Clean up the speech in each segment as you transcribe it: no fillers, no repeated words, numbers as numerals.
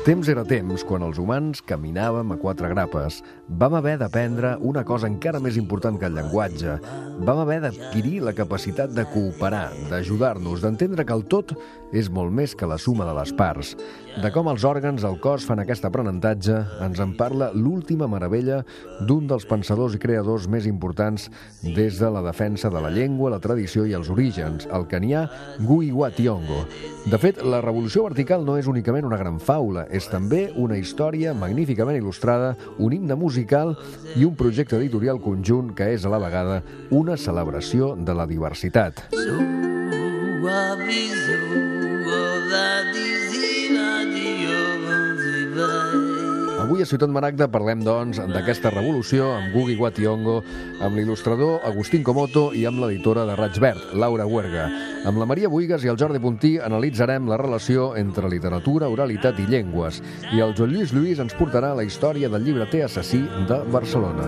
Temps era temps quan els humans caminàvem a quatre grapes. Vam haver d'aprendre una cosa encara més important que el llenguatge. Vam haver d'adquirir la capacitat de cooperar, d'ajudar-nos, d'entendre que el tot és molt més que la suma de les parts. De com els òrgans del cos fan aquest aprenentatge ens en parla l'última meravella d'un dels pensadors i creadors més importants des de la defensa de la llengua, la tradició i els orígens, el canià Ngugi wa Thiong'o. De fet, la revolució vertical no és únicament una gran faula, és també una història magníficament il·lustrada, un himne musical i un projecte editorial conjunt que és a la vegada una celebració de la diversitat. Avui a Ciutat Maragda parlem, doncs, d'aquesta revolució amb Ngugi wa Thiong'o, amb l'il·lustrador Agustín Comoto i amb l'editora de Raig Verd, Laura Huerga. Amb la Maria Buigas i el Jordi Puntí analitzarem la relació entre literatura, oralitat i llengües. I el Joan Lluís Lluís ens portarà la història del llibreter assassí de Barcelona.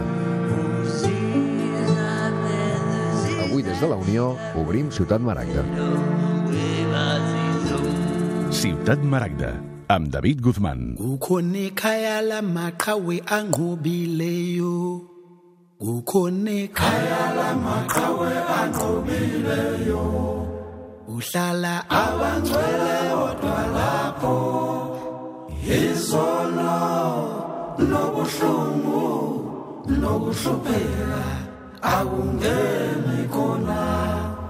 Avui des de la Unió obrim Ciutat Maragda. Ciutat Maragda, amb David Guzmán. Kukhona ikhaya lamaqhawe anqobileyo. Kukhona ikhaya lamaqhawe anqobileyo. Uhlala abangcwele odwa lapho. Izono nobuhlungu nokuhlupheka akungeni khona.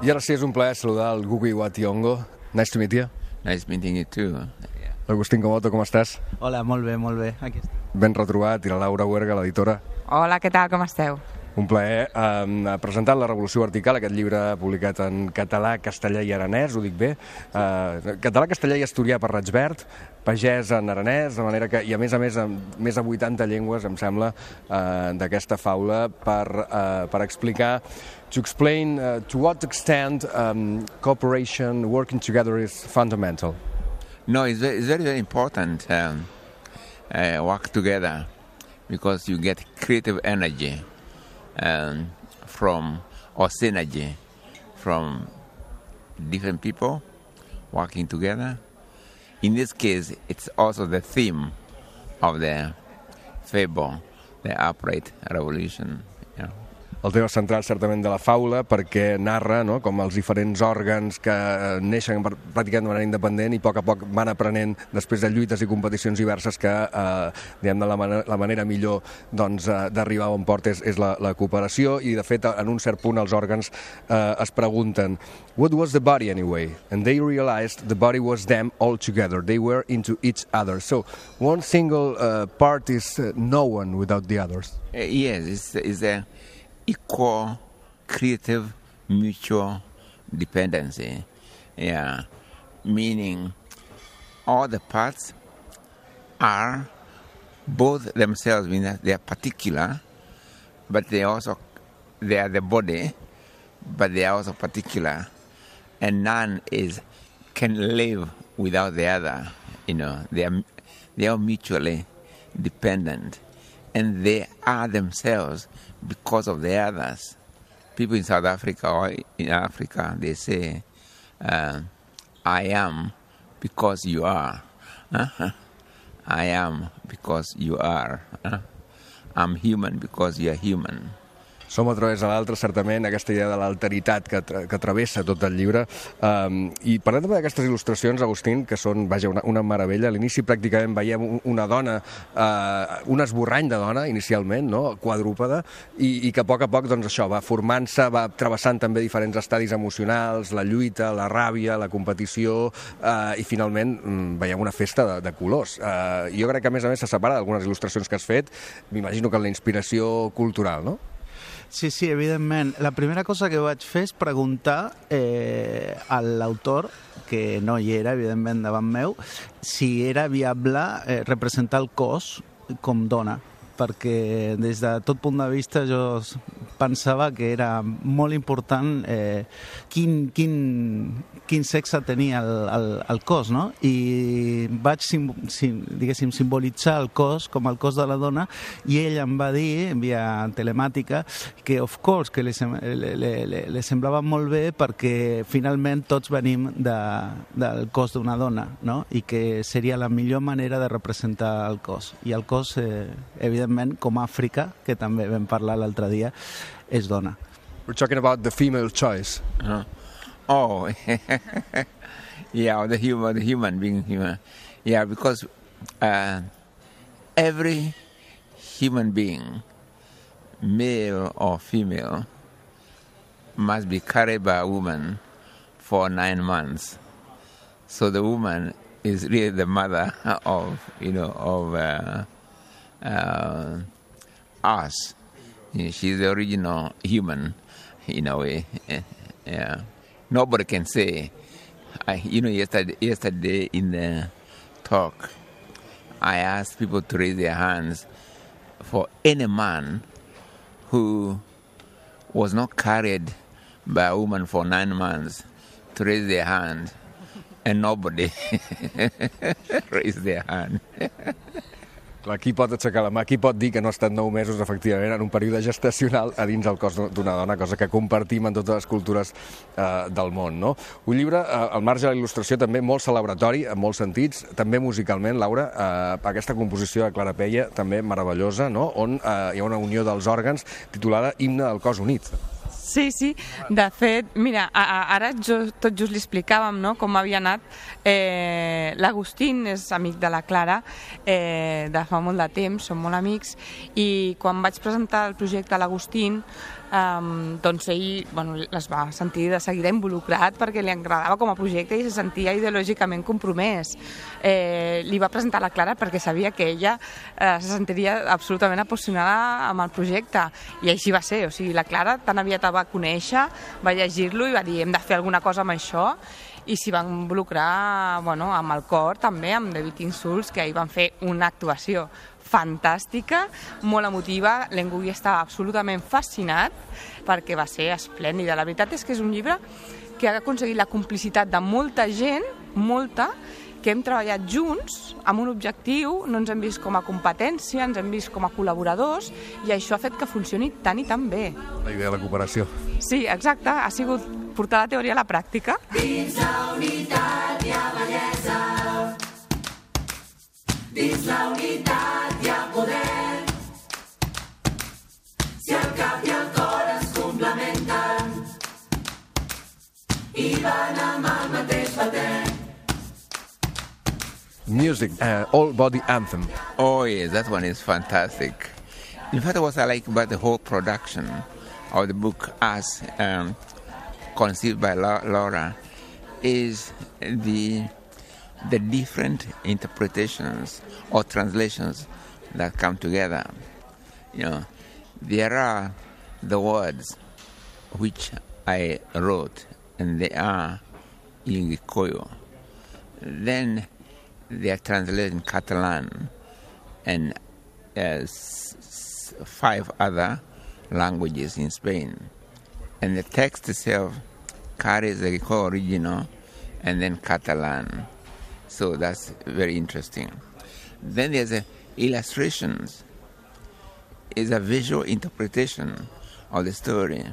I ara sí, és un plaer saludar el Ngugi wa Thiong'o. Nice to meet you. Nice meeting you too. Agustín Comoto, com estàs? Hola, molt bé, aquí estic. Ben retrobat, i la Laura Huerga, l'editora. Hola, què tal, com esteu? Un plaer. Presentat La revolució vertical, aquest llibre publicat en català, castellà i aranès, ho dic bé. Català, castellà i asturià per Raig Verd, pagès en aranès, de manera que, i a més, més de 80 llengües, em sembla, d'aquesta faula per explicar, to explain to what extent cooperation, working together is fundamental. No, it's very, very important work together because you get creative energy or synergy from different people working together. In this case, it's also the theme of the fable, the upright revolution. El tema central, certament, de la faula, perquè narra, no?, com els diferents òrgans que neixen pràcticament de manera independent i a poc van aprenent, després de lluites i competicions diverses, que la manera millor d'arribar a bon port és la cooperació, i de fet, en un cert punt, els òrgans es pregunten what was the body anyway? And they realized the body was them all together. They were into each other. So one single part is no one without the others. Yes, it's a equal, creative, mutual dependency. Yeah, meaning all the parts are both themselves, meaning they are particular, but they are the body, but they are also particular, and none can live without the other. They are mutually dependent, and they are themselves because of the others. People in South Africa or in Africa, they say, I am because you are. I am because you are. I'm human because you are human. Som a través de l'altre, certament, aquesta idea de l'alteritat que travessa tot el llibre. I parlem també d'aquestes il·lustracions, Agustín, que són, vaja, una meravella. A l'inici pràcticament veiem una dona, un esborrany de dona, inicialment, no?, quadrúpeda, i que a poc, doncs això, va formant-se, va travessant també diferents estadis emocionals, la lluita, la ràbia, la competició, i finalment veiem una festa de colors. Jo crec que, a més, se separa d'algunes il·lustracions que has fet, m'imagino que en la inspiració cultural, no? Sí, evidentment. La primera cosa que vaig fer és preguntar a l'autor, que no hi era, evidentment, davant meu, si era viable representar el cos com dona, perquè des de tot punt de vista jo pensava que era molt important quin sexe tenia el cos, no? I vaig, diguéssim, simbolitzar el cos com el cos de la dona i ell em va dir, via telemàtica, que of course, que li semblava molt bé perquè finalment tots venim del cos d'una dona, no? I que seria la millor manera de representar el cos. I el cos, evidentment, com Àfrica, que també vam parlar l'altre dia, és dona. We're talking about the female choice. Oh, yeah, the human being human. Yeah, because every human being, male or female, must be carried by a woman for 9 months. So the woman is really the mother of us. She's the original human, in a way. Yeah. Nobody can say. Yesterday in the talk, I asked people to raise their hands for any man who was not carried by a woman for 9 months to raise their hand, and nobody raised their hand. Clar, qui pot aixecar la mà? Qui pot dir que no ha estat 9 mesos, efectivament, en un període gestacional a dins del cos d'una dona, cosa que compartim en totes les cultures del món, no? Un llibre, al marge de la il·lustració, també molt celebratori, en molts sentits, també musicalment, Laura, aquesta composició de Clara Peia, també meravellosa, no? On hi ha una unió dels òrgans titulada Himne del cos unit. Sí, sí. De fet, mira, ara tot just li explicàvem, no?, com havia anat. L'Agustín és amic de la Clara de fa molt de temps, som molt amics, i quan vaig presentar el projecte a l'Agustín, doncs ell es va sentir de seguida involucrat perquè li agradava com a projecte i se sentia ideològicament compromès. Li va presentar a la Clara perquè sabia que ella se sentiria absolutament apassionada amb el projecte, i així va ser. O sigui, la Clara tan aviat el va conèixer, va llegir-lo i va dir hem de fer alguna cosa amb això, i s'hi van involucrar amb el cor també, amb David Insults, que ahir van fer una actuació fantàstica, molt emotiva. L'Engui estava absolutament fascinat perquè va ser esplèndida. La veritat és que és un llibre que ha aconseguit la complicitat de molta gent, molta, que hem treballat junts amb un objectiu, no ens hem vist com a competència, ens hem vist com a col·laboradors, i això ha fet que funcioni tan i tan bé. La idea de la cooperació. Sí, exacte, ha sigut portar la teoria a la pràctica. Dins la unitat hi ha bellesa, dins la unitat hi ha poder. Si el cap i el cor es complementen i van amb el mateix batet. Music, All Body Anthem. Oh, yes, that one is fantastic. In fact, what I like about the whole production of the book as conceived by Laura is the different interpretations or translations that come together. There are the words which I wrote, and they are in Gikoyo. Then they are translated in Catalan and 5 other languages in Spain. And the text itself carries the Gikoyo original and then Catalan. So that's very interesting. Then there's illustrations. It's a visual interpretation of the story,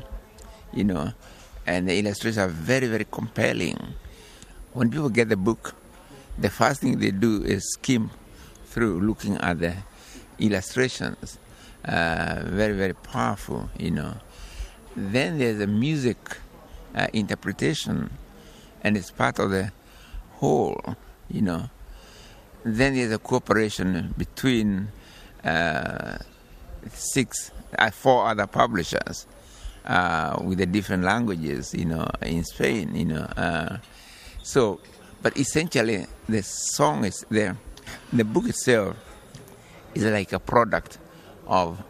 and the illustrations are very, very compelling. When people get the book, the first thing they do is skim through looking at the illustrations. Very, very powerful, Then there's a music interpretation, and it's part of the whole, Then there's a cooperation between 4 other publishers with the different languages, in Spain, But essentially, the song is there. The book itself is like a product of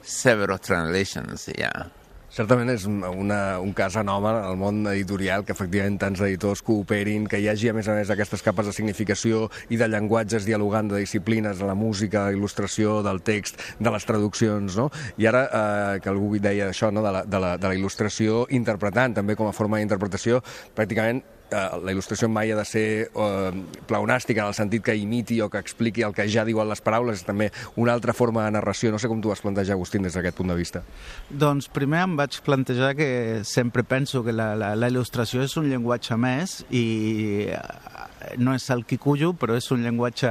several translations, yeah. Certament és un cas anòmal al món editorial, que efectivament tants editors cooperin, que hi hagi a més aquestes capes de significació i de llenguatges dialogant de disciplines, de la música, de il·lustració, del text, de les traduccions, no? I ara que algú deia això, no? de la il·lustració interpretant també com a forma d'interpretació, pràcticament la il·lustració mai ha de ser pleonàstica en el sentit que imiti o que expliqui el que ja diuen les paraules, és també una altra forma de narració. No sé com tu vas plantejar, Agustín, des d'aquest punt de vista. Doncs primer em vaig plantejar que sempre penso que la il·lustració és un llenguatge més i no és el Kikuyu, però és un llenguatge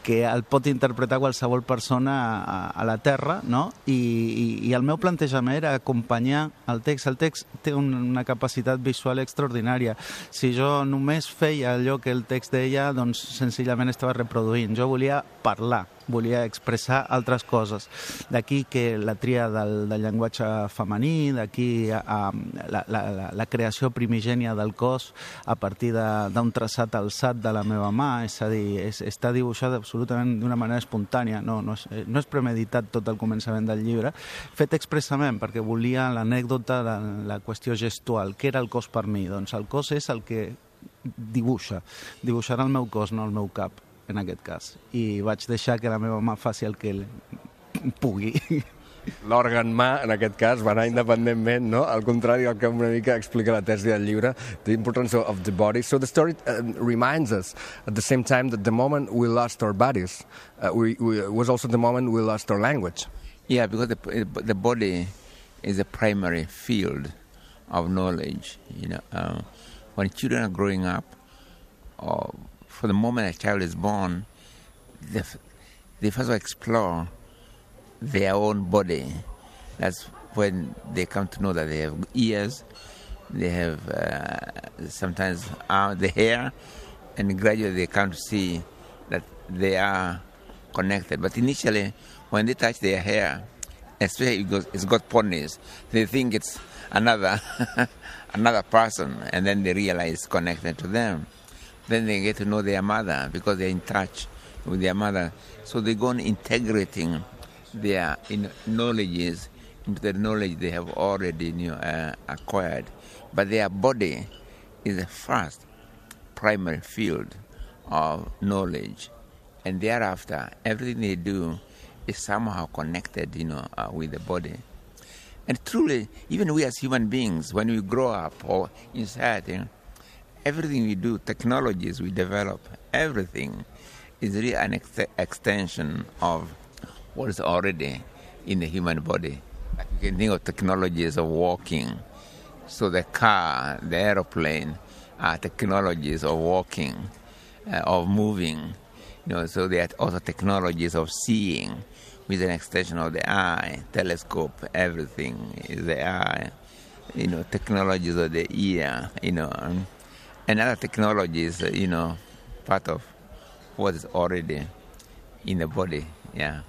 que el pot interpretar qualsevol persona a la Terra, no? I el meu plantejament era acompanyar el text. El text té una capacitat visual extraordinària. Si jo només feia allò que el text deia, doncs senzillament estava reproduint. Jo volia parlar, volia expressar altres coses. D'aquí que la tria del llenguatge femení, d'aquí la creació primigènia del cos a partir d'un traçat alçat de la meva mà, és a dir, està dibuixat absolutament d'una manera espontània, no és premeditat tot el començament del llibre, fet expressament perquè volia l'anècdota de la qüestió gestual. Què era el cos per mi? Doncs el cos és el que dibuixarà el meu cos, no el meu cap, en aquest cas. I vaig deixar que la meva mà faci el que pugui. L'òrgan mà, en aquest cas, va anar independentment, no? Al contrari del que una mica explica la tesi del llibre, the importance of the body. So the story reminds us, at the same time, that the moment we lost our bodies was also the moment we lost our language. Yeah, because the body is a primary field of knowledge. When children are growing up, for the moment a child is born, they first explore their own body. That's when they come to know that they have ears, they have sometimes the hair, and gradually they come to see that they are connected. But initially, when they touch their hair, especially because it's got ponies, they think it's another person, and then they realize it's connected to them. Then they get to know their mother because they're in touch with their mother. So they go on integrating their knowledges into the knowledge they have already acquired. But their body is the first primary field of knowledge. And thereafter, everything they do is somehow connected, with the body. And truly, even we as human beings, when we grow up or in society, everything we do, technologies we develop, everything is really an extension of what is already in the human body. Like you can think of technologies of walking. So the car, the aeroplane are technologies of walking, of moving. So there are also technologies of seeing with an extension of the eye, telescope, everything is the eye. Technologies of the ear, and other technologies, part of what is already in the body, yeah.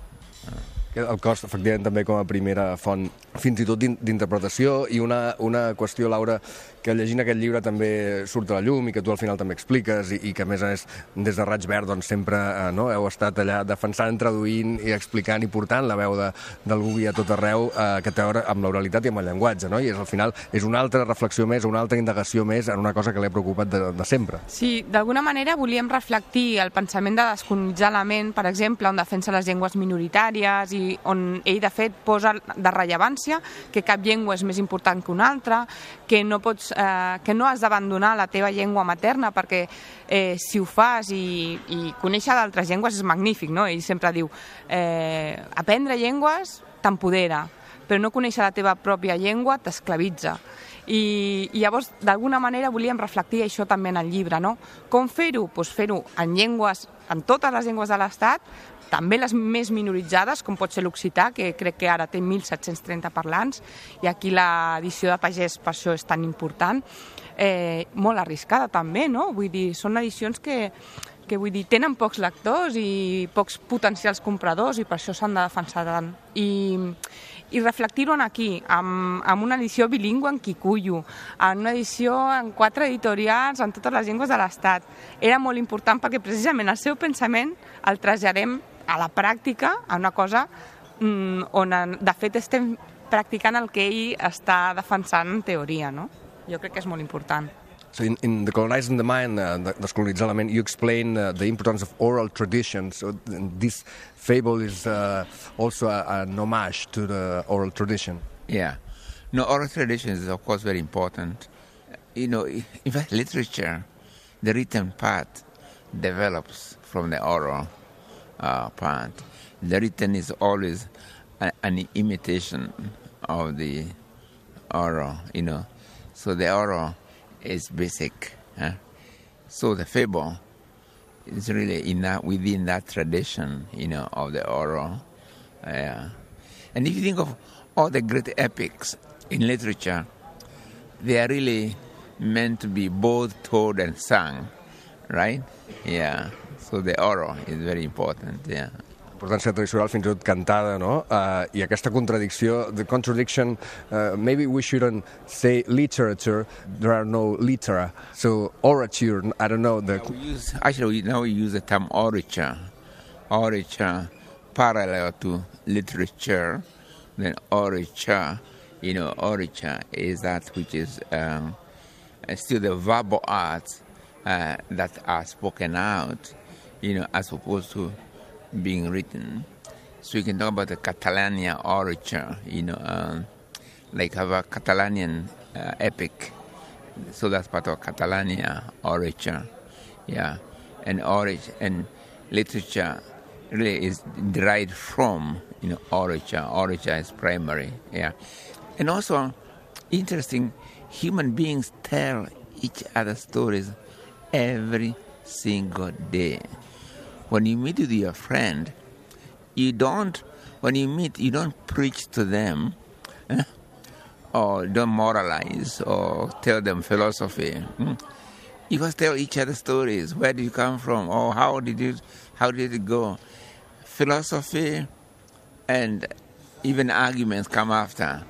El cos, efectivament, també com a primera font, fins i tot d'interpretació, i una qüestió, Laura, que llegint aquest llibre també surt a la llum i que tu al final també expliques i que a més des de Raig Verd doncs, sempre heu estat allà defensant, traduint i explicant i portant la veu del Gubi a tot arreu, que té a veure amb l'oralitat i amb el llenguatge, no? I al final és una altra reflexió més, una altra indagació més en una cosa que l'he preocupat de sempre. Sí, d'alguna manera volíem reflectir el pensament de descolonitzar la ment, per exemple, on defensa les llengües minoritàries i on ell, de fet, posa de rellevància que cap llengua és més important que una altra, que no has d'abandonar la teva llengua materna perquè si ho fas i conèixer d'altres llengües és magnífic, no? Ell sempre diu aprendre llengües t'empodera, però no conèixer la teva pròpia llengua t'esclavitza. I llavors, d'alguna manera, volíem reflectir això també en el llibre, no? Com fer-ho? Doncs fer-ho en totes les llengües de l'Estat, també les més minoritzades, com pot ser l'occità, que crec que ara té 1.730 parlants, i aquí l'edició de Pagès per això és tan important, molt arriscada també, no? Vull dir, són edicions que tenen pocs lectors i pocs potencials compradors i per això s'han de defensar tant. I reflectir-ho aquí, amb una edició bilingüe en Kikuyu, en una edició en 4 editorials en totes les llengües de l'Estat. Era molt important perquè precisament el seu pensament el traslladem a la pràctica, a una cosa on de fet estem practicant el que ell està defensant en teoria, no? Jo crec que és molt important. So in Decolonizing the Mind, Descolonitzar la ment, you explain the importance of oral tradition. So this fable is also an homage to the oral tradition. Yeah. No, oral tradition is, of course, very important. In fact, literature, the written part develops from the oral part. The written is always an imitation of the oral, So the oral is basic. So the fable is really within that tradition, of the oral. And if you think of all the great epics in literature, they are really meant to be both told and sung, right? Yeah. So the oral is very important, yeah. Importància tradicional, fins i tot cantada, no? I aquesta contradicció, the contradiction, maybe we shouldn't say literature, there are no litera. So orature, I don't know. Now we use the term orature. Orature parallel to literature. Then orature, orature is that which is still the verbal arts that are spoken out, as opposed to being written. So you can talk about the Catalonia orature, like have a Catalanian epic. So that's part of Catalonia orature, yeah. And literature really is derived from, orature. Orature is primary, yeah. And also, interesting, human beings tell each other stories every single day. When you meet with your friend, you don't preach to them, or don't moralize or tell them philosophy. You just tell each other stories. Where did you come from? Or how did it go? Philosophy and even arguments come after,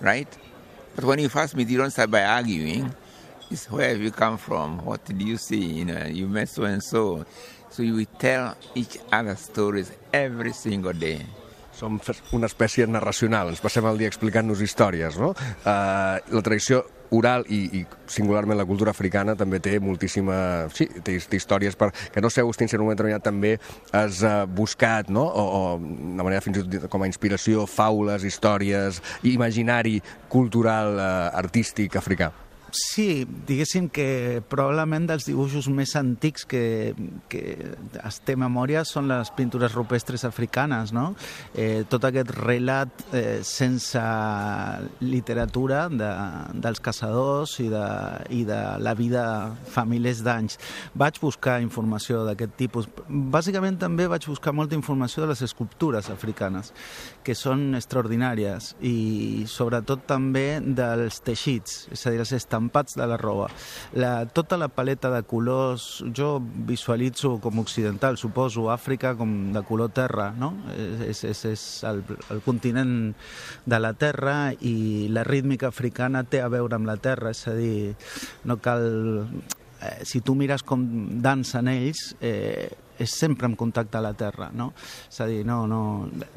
right? But when you first meet, you don't start by arguing. It's where have you come from? What did you see? You met so and so. So you will tell each other stories every single day. Som una espècie narracional, ens passem el dia explicant-nos històries, no? La tradició oral i singularment la cultura africana també té moltíssima... Sí, té històries que no sé, Agustín, si en un moment determinat també has buscat, no? O de manera fins i tot com a inspiració, faules, històries, imaginari cultural, artístic africà. Sí, diguéssim que probablement dels dibuixos més antics que es té memòria són les pintures rupestres africanes, no? Tot aquest relat sense literatura dels caçadors i de la vida fa milers d'anys. Vaig buscar informació d'aquest tipus. Bàsicament també vaig buscar molta informació de les escultures africanes, que són extraordinàries, i sobretot també dels teixits, és a dir, els estampats de la roba. Tota la paleta de colors, jo visualitzo com occidental, suposo Àfrica com de color terra, no? És el continent de la terra, i la rítmica africana té a veure amb la terra, és a dir, no cal... Si tu mires com dansen ells, és sempre en contacte a la terra, no? És a dir,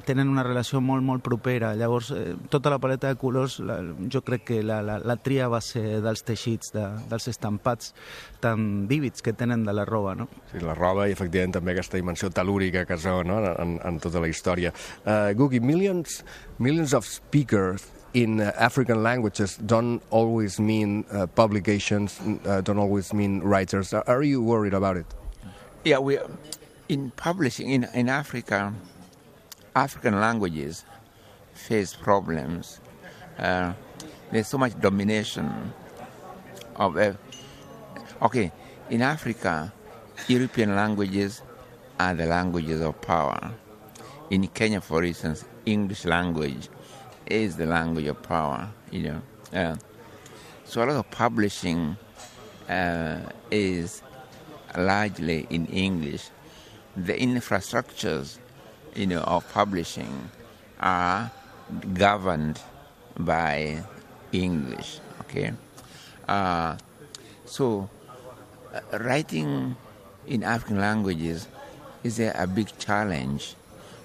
tenen una relació molt, molt propera. Llavors, tota la paleta de colors, jo crec que la tria va ser dels teixits, dels estampats tan vívids que tenen de la roba, no? Sí, la roba i, efectivament, també aquesta dimensió telúrica que es veu, no?, en tota la història. Gugi, millions of speakers in African languages don't always mean publications, don't always mean writers. Are you worried about it? Yeah, in publishing in Africa, African languages face problems. There's so much domination of... in Africa, European languages are the languages of power. In Kenya, for instance, English language is the language of power, So a lot of publishing is largely in English. The infrastructures, of publishing are governed by English, okay? So writing in African languages is a big challenge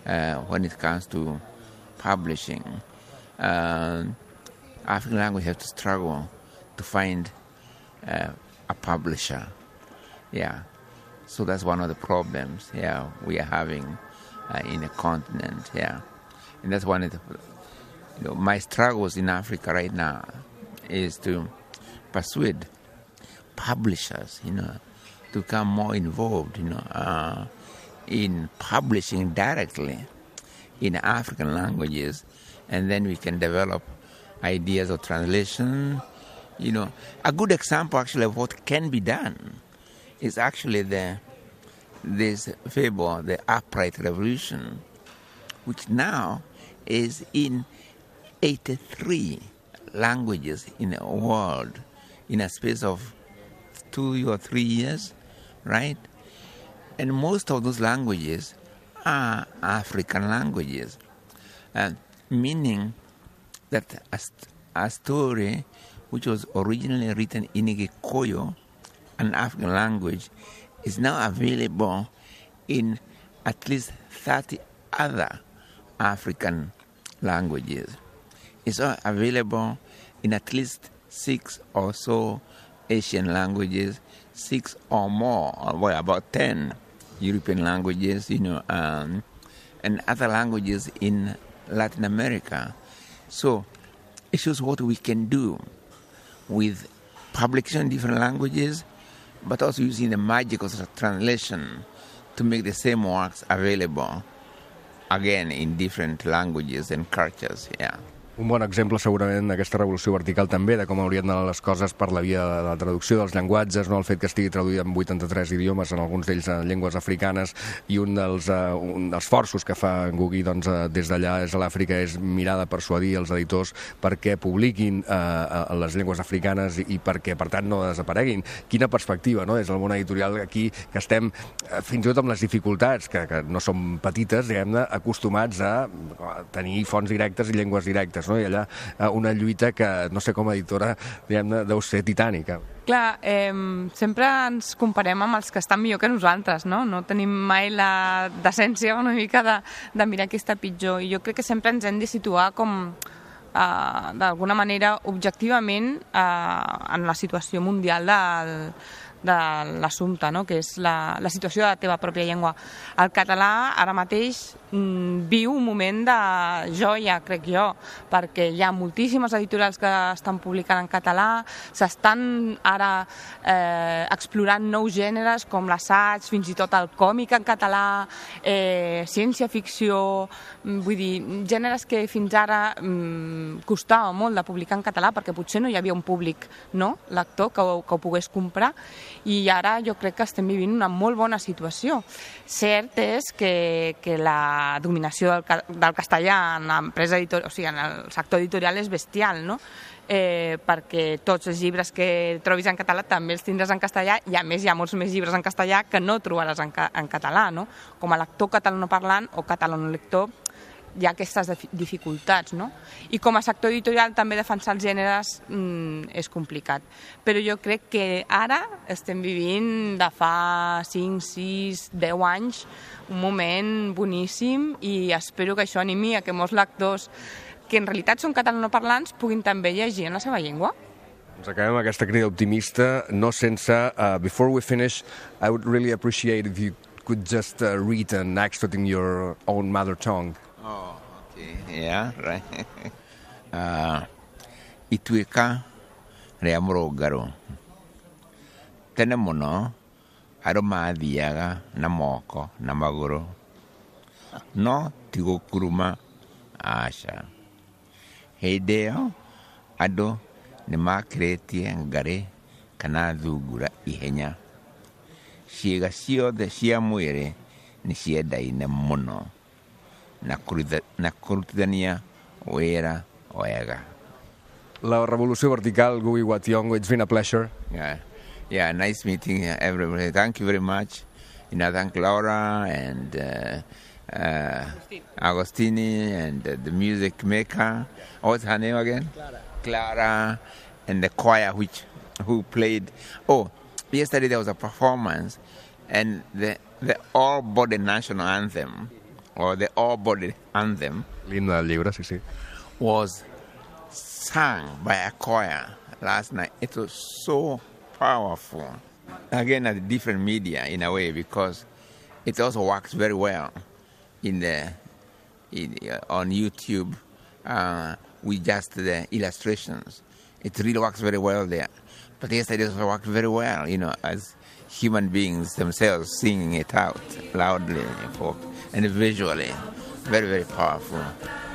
when it comes to publishing. African language have to struggle to find a publisher. Yeah. So that's one of the problems, we are having in the continent, And that's one of the, my struggles in Africa right now is to persuade publishers, to become more involved, in publishing directly in African languages, and then we can develop ideas of translation. A good example actually of what can be done is actually this fable, the Upright Revolution, which now is in 83 languages in the world in a space of 2 or 3 years, right? And most of those languages are African languages, meaning that a story which was originally written in Gikuyu, an African language, is now available in at least 30 other African languages. It's available in at least 6 or so Asian languages, 6 or more, or about 10 European languages, and other languages in Latin America. So it shows what we can do with publication in different languages, but also using the magic of translation to make the same works available again in different languages and cultures. Un bon exemple segurament d'aquesta revolució vertical també, de com haurien d'anar les coses per la via de la traducció dels llenguatges, el fet que estigui traduït en 83 idiomes, en alguns d'ells en llengües africanes, i un dels esforços que fa Ngugi des d'allà des de l'Àfrica és mirar de persuadir els editors perquè publiquin les llengües africanes i perquè, per tant, no desapareguin. Quina perspectiva, des del món editorial aquí, que estem fins i tot amb les dificultats, que no són petites, diguem-ne, acostumats a tenir fonts directes i llengües directes, i allà una lluita que, no sé, com a editora, diguem-ne, deu ser titànica. Clar, sempre ens comparem amb els que estan millor que nosaltres, no? No tenim mai la decència una mica de mirar qui està pitjor, i jo crec que sempre ens hem de situar com, d'alguna manera, objectivament, en la situació mundial de l'assumpte, no? Que és la situació de la teva pròpia llengua. El català ara mateix viu un moment de joia, crec jo, perquè hi ha moltíssimes editorials que estan publicant en català, s'estan ara explorant nous gèneres com l'assaig, fins i tot el còmic en català, ciència-ficció, vull dir, gèneres que fins ara costava molt de publicar en català perquè potser no hi havia un públic, lector que ho pogués comprar, i ara jo crec que estem vivint una molt bona situació. Cert és que la dominació del castellà en l'empresa editorial, o sigui, en el sector editorial és bestial, no? Perquè tots els llibres que trobis en català també els tindràs en castellà, i a més hi ha molts més llibres en castellà que no trobaràs en català, no? Com a lector catalanoparlant o catalanolector hi ha aquestes dificultats, no? I com a sector editorial també defensar els gèneres és complicat. Però jo crec que ara estem vivint de fa 5, 6, 10 anys un moment boníssim, i espero que això animi a que molts lectors que en realitat són catalanoparlants puguin també llegir en la seva llengua. Ens acabem amb aquesta crida optimista, no sense... Before we finish, I would really appreciate if you could just read an extract in your own mother tongue. Oh, okay. Yeah, right. Ituika reamuro garo. Tena mono aroma diaga na moko na maguro. No tigo kuruma asha. Heideo ado ne makreti ngare kana dugura ihenya. Shiga sio de shia muere ni shia dai na mono. Nakurudania Oera Oega. La revolució vertical, Ngugi wa Thiong'o, it's been a pleasure. Yeah, nice meeting everybody. Thank you very much. Thank Laura and Agostini and the music maker. What's her name again? Clara. And the choir who played. Oh, yesterday there was a performance, and the all-body national anthem, or the all-body anthem. L'himne del llibre, sí. was sung by a choir last night. It was so powerful. Again, a different media in a way, because it also works very well on YouTube with just the illustrations. It really works very well there. But yes, it also works very well, as human beings themselves singing it out loudly and visually. Very, very powerful.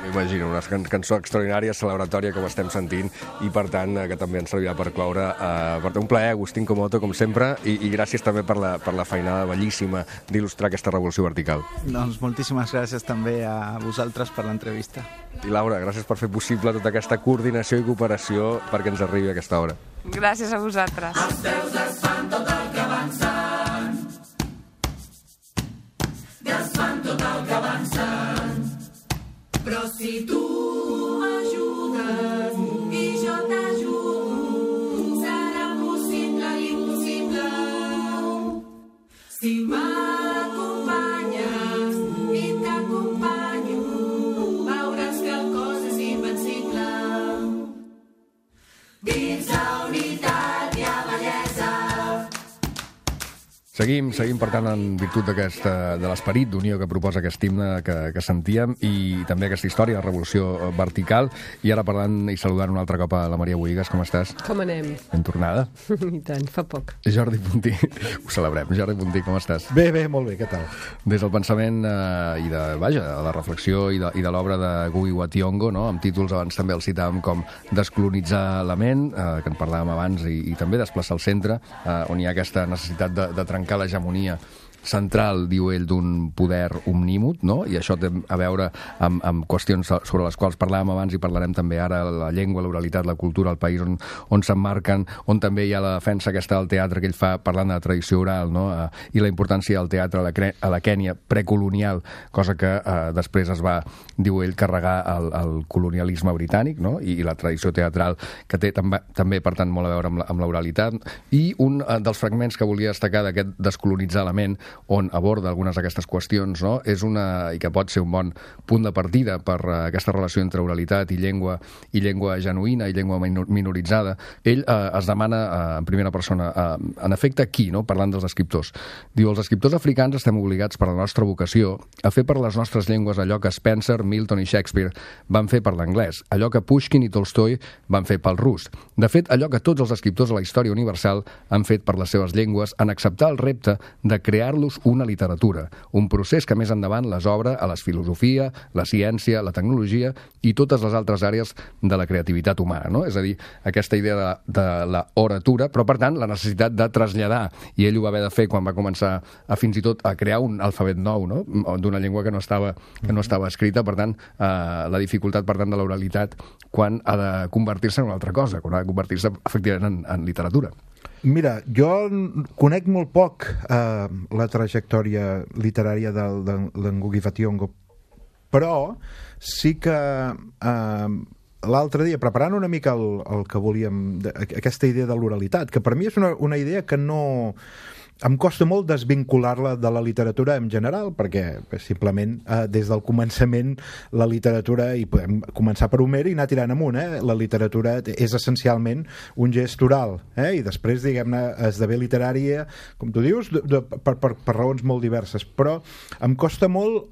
M'imagino, una cançó extraordinària, celebratòria, com estem sentint, i per tant que també ens servirà per cloure. Per tant, un plaer, Agustín Comoto, com sempre, i gràcies també per la feinada bellíssima d'il·lustrar aquesta revolució vertical. Doncs moltíssimes gràcies també a vosaltres per l'entrevista. I Laura, gràcies per fer possible tota aquesta coordinació i cooperació perquè ens arribi a aquesta hora. Gràcies a vosaltres. Els peus desfan tot el que avancen. Desfan tot el que avancen. Però si tu m'ajudes i jo t'ajudo, serà possible l'impossible. Si m'acompanyes i t'acompanyo, veuràs que el cos és invencible. Dins la unitat hi ha bellesa. Seguim, per tant, en virtut de l'esperit d'unió que proposa aquest himne que sentíem, i també aquesta història de revolució vertical. I ara parlant i saludant un altre cop a la Maria Bohigas. Com estàs? Com anem? Ben tornada. I tant, fa poc. Jordi Puntí, ho celebrem. Jordi Puntí, com estàs? Bé, molt bé, què tal? Des del pensament i de la reflexió i de l'obra de Ngugi wa Thiong'o, no? Amb títols, abans també el citàvem, com Descolonitzar la ment, que en parlàvem abans, i també Desplaçar el centre, on hi ha aquesta necessitat de trencar l'hegemonia central, diu ell, d'un poder omnímot, no? I això té a veure amb qüestions sobre les quals parlàvem abans i parlarem també ara, la llengua, l'oralitat, la cultura, el país on s'emmarquen, on també hi ha la defensa aquesta del teatre que ell fa parlant de la tradició oral, no? I la importància del teatre a la Kènia precolonial, cosa que després es va, diu ell, carregar el colonialisme britànic, no? I la tradició teatral que té també, per tant, molt a veure amb l'oralitat. I un dels fragments que volia destacar d'aquest Descolonitzar la ment, on aborda algunes d'aquestes qüestions, no? I que pot ser un bon punt de partida per aquesta relació entre oralitat i llengua genuïna i llengua minoritzada. Ell es demana en primera persona, en efecte, qui, no? Parlant dels escriptors. Diu, els escriptors africans estem obligats per la nostra vocació a fer per les nostres llengües allò que Spencer, Milton i Shakespeare van fer per l'anglès, allò que Pushkin i Tolstoi van fer pel rus. De fet, allò que tots els escriptors de la història universal han fet per les seves llengües en acceptar el repte de crear-los una literatura, un procés que més endavant les obre a la filosofia, la ciència, la tecnologia i totes les altres àrees de la creativitat humana, no? És a dir, aquesta idea de la oratura, però per tant la necessitat de traslladar, i ell ho va haver de fer quan va començar fins i tot a crear un alfabet nou, no? D'una llengua que no estava escrita, per tant la dificultat per tant de l'oralitat quan ha de convertir-se en una altra cosa, quan ha de convertir-se efectivament en literatura. Mira, jo conec molt poc la trajectòria literària de Ngugi wa Thiong'o, però sí que l'altre dia, preparant una mica el que volíem, aquesta idea de l'oralitat, que per mi és una idea que no... Em costa molt desvincular-la de la literatura en general, perquè simplement des del començament la literatura, i podem començar per Homer i anar tirant amunt, la literatura és essencialment un gest oral, i després, diguem-ne, esdevé literària, com tu dius, per raons molt diverses, però em costa molt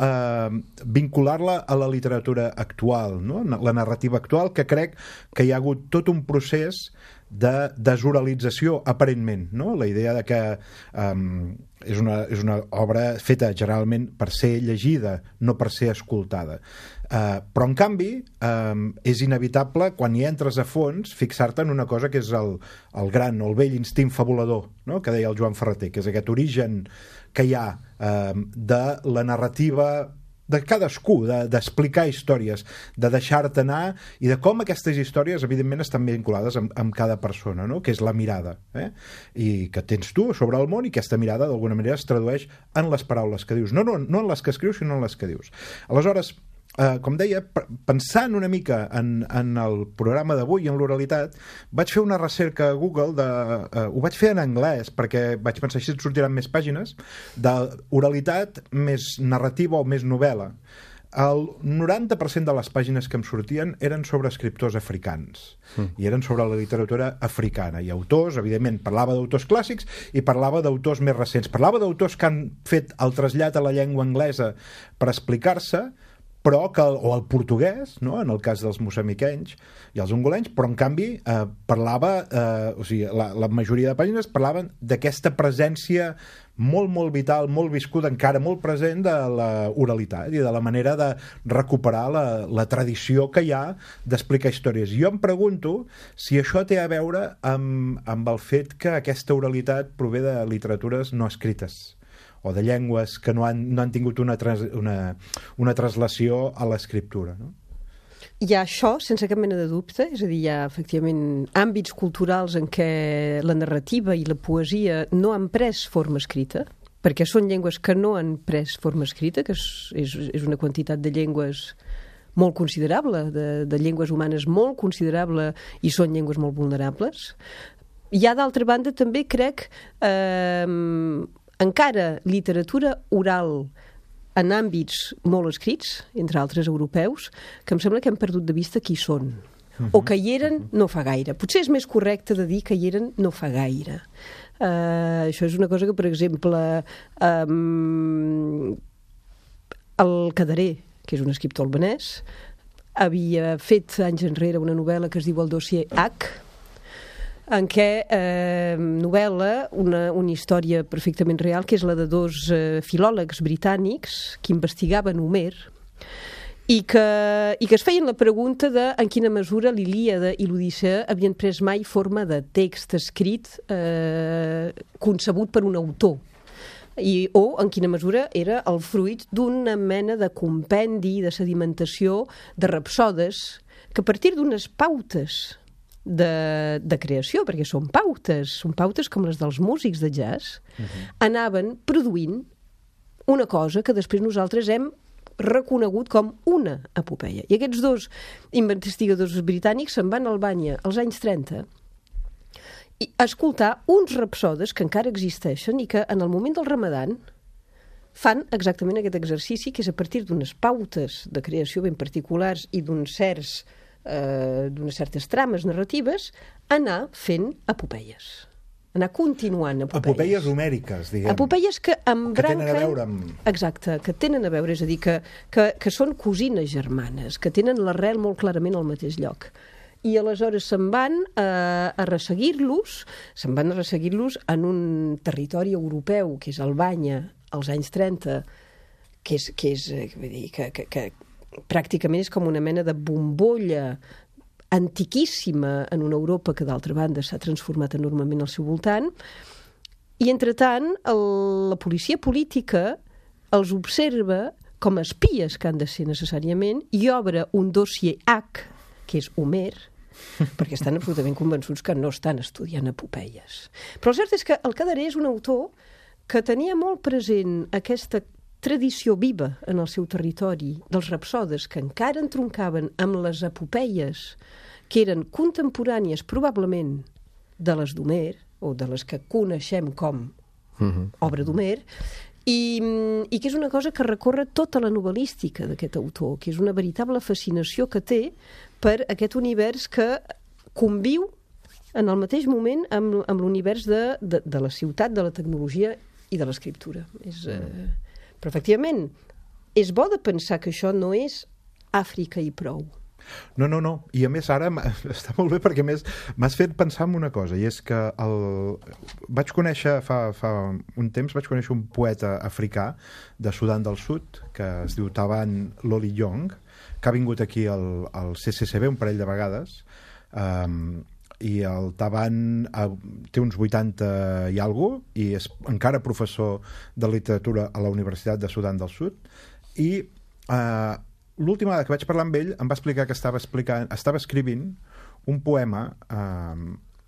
vincular-la a la literatura actual, no? La narrativa actual, que crec que hi ha hagut tot un procés de desoralització, aparentment, no? La idea de que és una obra feta generalment per ser llegida, no per ser escoltada. Però, en canvi, és inevitable, quan hi entres a fons, fixar-te en una cosa que és el gran o el vell instint fabulador, no? Que deia el Joan Ferreter, que és aquest origen que hi ha de la narrativa de cadascú, d'explicar històries, de deixar-te anar, i de com aquestes històries, evidentment, estan vinculades amb cada persona, no? Que és la mirada, i que tens tu sobre el món, i aquesta mirada, d'alguna manera, es tradueix en les paraules que dius. No en les que escrius, sinó en les que dius. Aleshores, com deia, pensant una mica en el programa d'avui i en l'oralitat, vaig fer una recerca a Google, ho vaig fer en anglès, perquè vaig pensar així et sortiran més pàgines, d'oralitat més narrativa o més novel·la. el 90% de les pàgines que em sortien eren sobre escriptors africans i eren sobre la literatura africana i autors, evidentment, parlava d'autors clàssics i parlava d'autors més recents, parlava d'autors que han fet el trasllat a la llengua anglesa per explicar-se, però o el portuguès, no? En el cas dels moçambiquenys i els angolenys, però en canvi parlava, o sigui, la majoria de pàgines parlaven d'aquesta presència molt, molt vital, molt viscuda, encara molt present de la oralitat i de la manera de recuperar la tradició que hi ha d'explicar històries. Jo em pregunto si això té a veure amb el fet que aquesta oralitat prové de literatures no escrites o de llengües que no han tingut una translació a l'escriptura, no? Hi ha això, sense cap mena de dubte, és a dir, hi ha efectivament àmbits culturals en què la narrativa i la poesia no han pres forma escrita, perquè són llengües que no han pres forma escrita, que és una quantitat de llengües molt considerable, de llengües humanes molt considerable, i són llengües molt vulnerables. Hi ha, d'altra banda, també crec encara literatura oral en àmbits molt escrits, entre altres europeus, que em sembla que hem perdut de vista qui són. O que hi eren no fa gaire. Potser és més correcte de dir que hi eren no fa gaire. Això és una cosa que, per exemple, el Cadaré, que és un escriptor albanès, havia fet anys enrere una novel·la que es diu El dossier H, en què novel·la una història perfectament real, que és la de dos filòlegs britànics que investigaven Homer i que es feien la pregunta de en quina mesura l'Ilíada i l'Odissea havien pres mai forma de text escrit concebut per un autor, o en quina mesura era el fruit d'una mena de compendi, de sedimentació, de rapsodes, que a partir d'unes pautes de creació, perquè són pautes com les dels músics de jazz, anaven produint una cosa que després nosaltres hem reconegut com una epopeia. I aquests dos investigadors britànics se'n van a Albània als anys 30 i a escoltar uns rapsodes que encara existeixen i que en el moment del Ramadan fan exactament aquest exercici, que és a partir d'unes pautes de creació ben particulars i d'unes certes trames narratives, anar fent epopeies, anar continuant epopeies. Epopeies homèriques, diguem. Epopeies que embranquen... Que tenen a veure amb... Exacte, que tenen a veure, és a dir, que són cosines germanes, que tenen l'arrel molt clarament al mateix lloc. I aleshores se'n van a resseguir-los en un territori europeu, que és Albània, als anys 30, que pràcticament és com una mena de bombolla antiquíssima en una Europa que, d'altra banda, s'ha transformat enormement al seu voltant. I, entretant, la policia política els observa com a espies que han de ser necessàriament i obre un dossier H, que és Homer, perquè estan absolutament convençuts que no estan estudiant epopeies. Però el cert és que el Cadaré és un autor que tenia molt present aquesta tradició viva en el seu territori dels rapsodes que encara entroncaven amb les epopeies que eren contemporànies probablement de les d'Homer o de les que coneixem com obra d'Homer i que és una cosa que recorre tota la novel·lística d'aquest autor, que és una veritable fascinació que té per aquest univers que conviu en el mateix moment amb l'univers de la ciutat, de la tecnologia i de l'escriptura. Però, efectivament, és bo de pensar que això no és Àfrica i prou. No. I a més ara està molt bé perquè més m'has fet pensar en una cosa, i és que vaig conèixer fa un temps un poeta africà de Sudan del Sud que es diu Taban Loli Yong, que ha vingut aquí al CCCB un parell de vegades, i el Taban té uns 80 i alguna cosa i és encara professor de literatura a la Universitat de Sudan del Sud, i l'última vegada que vaig parlar amb ell em va explicar que estava escrivint un poema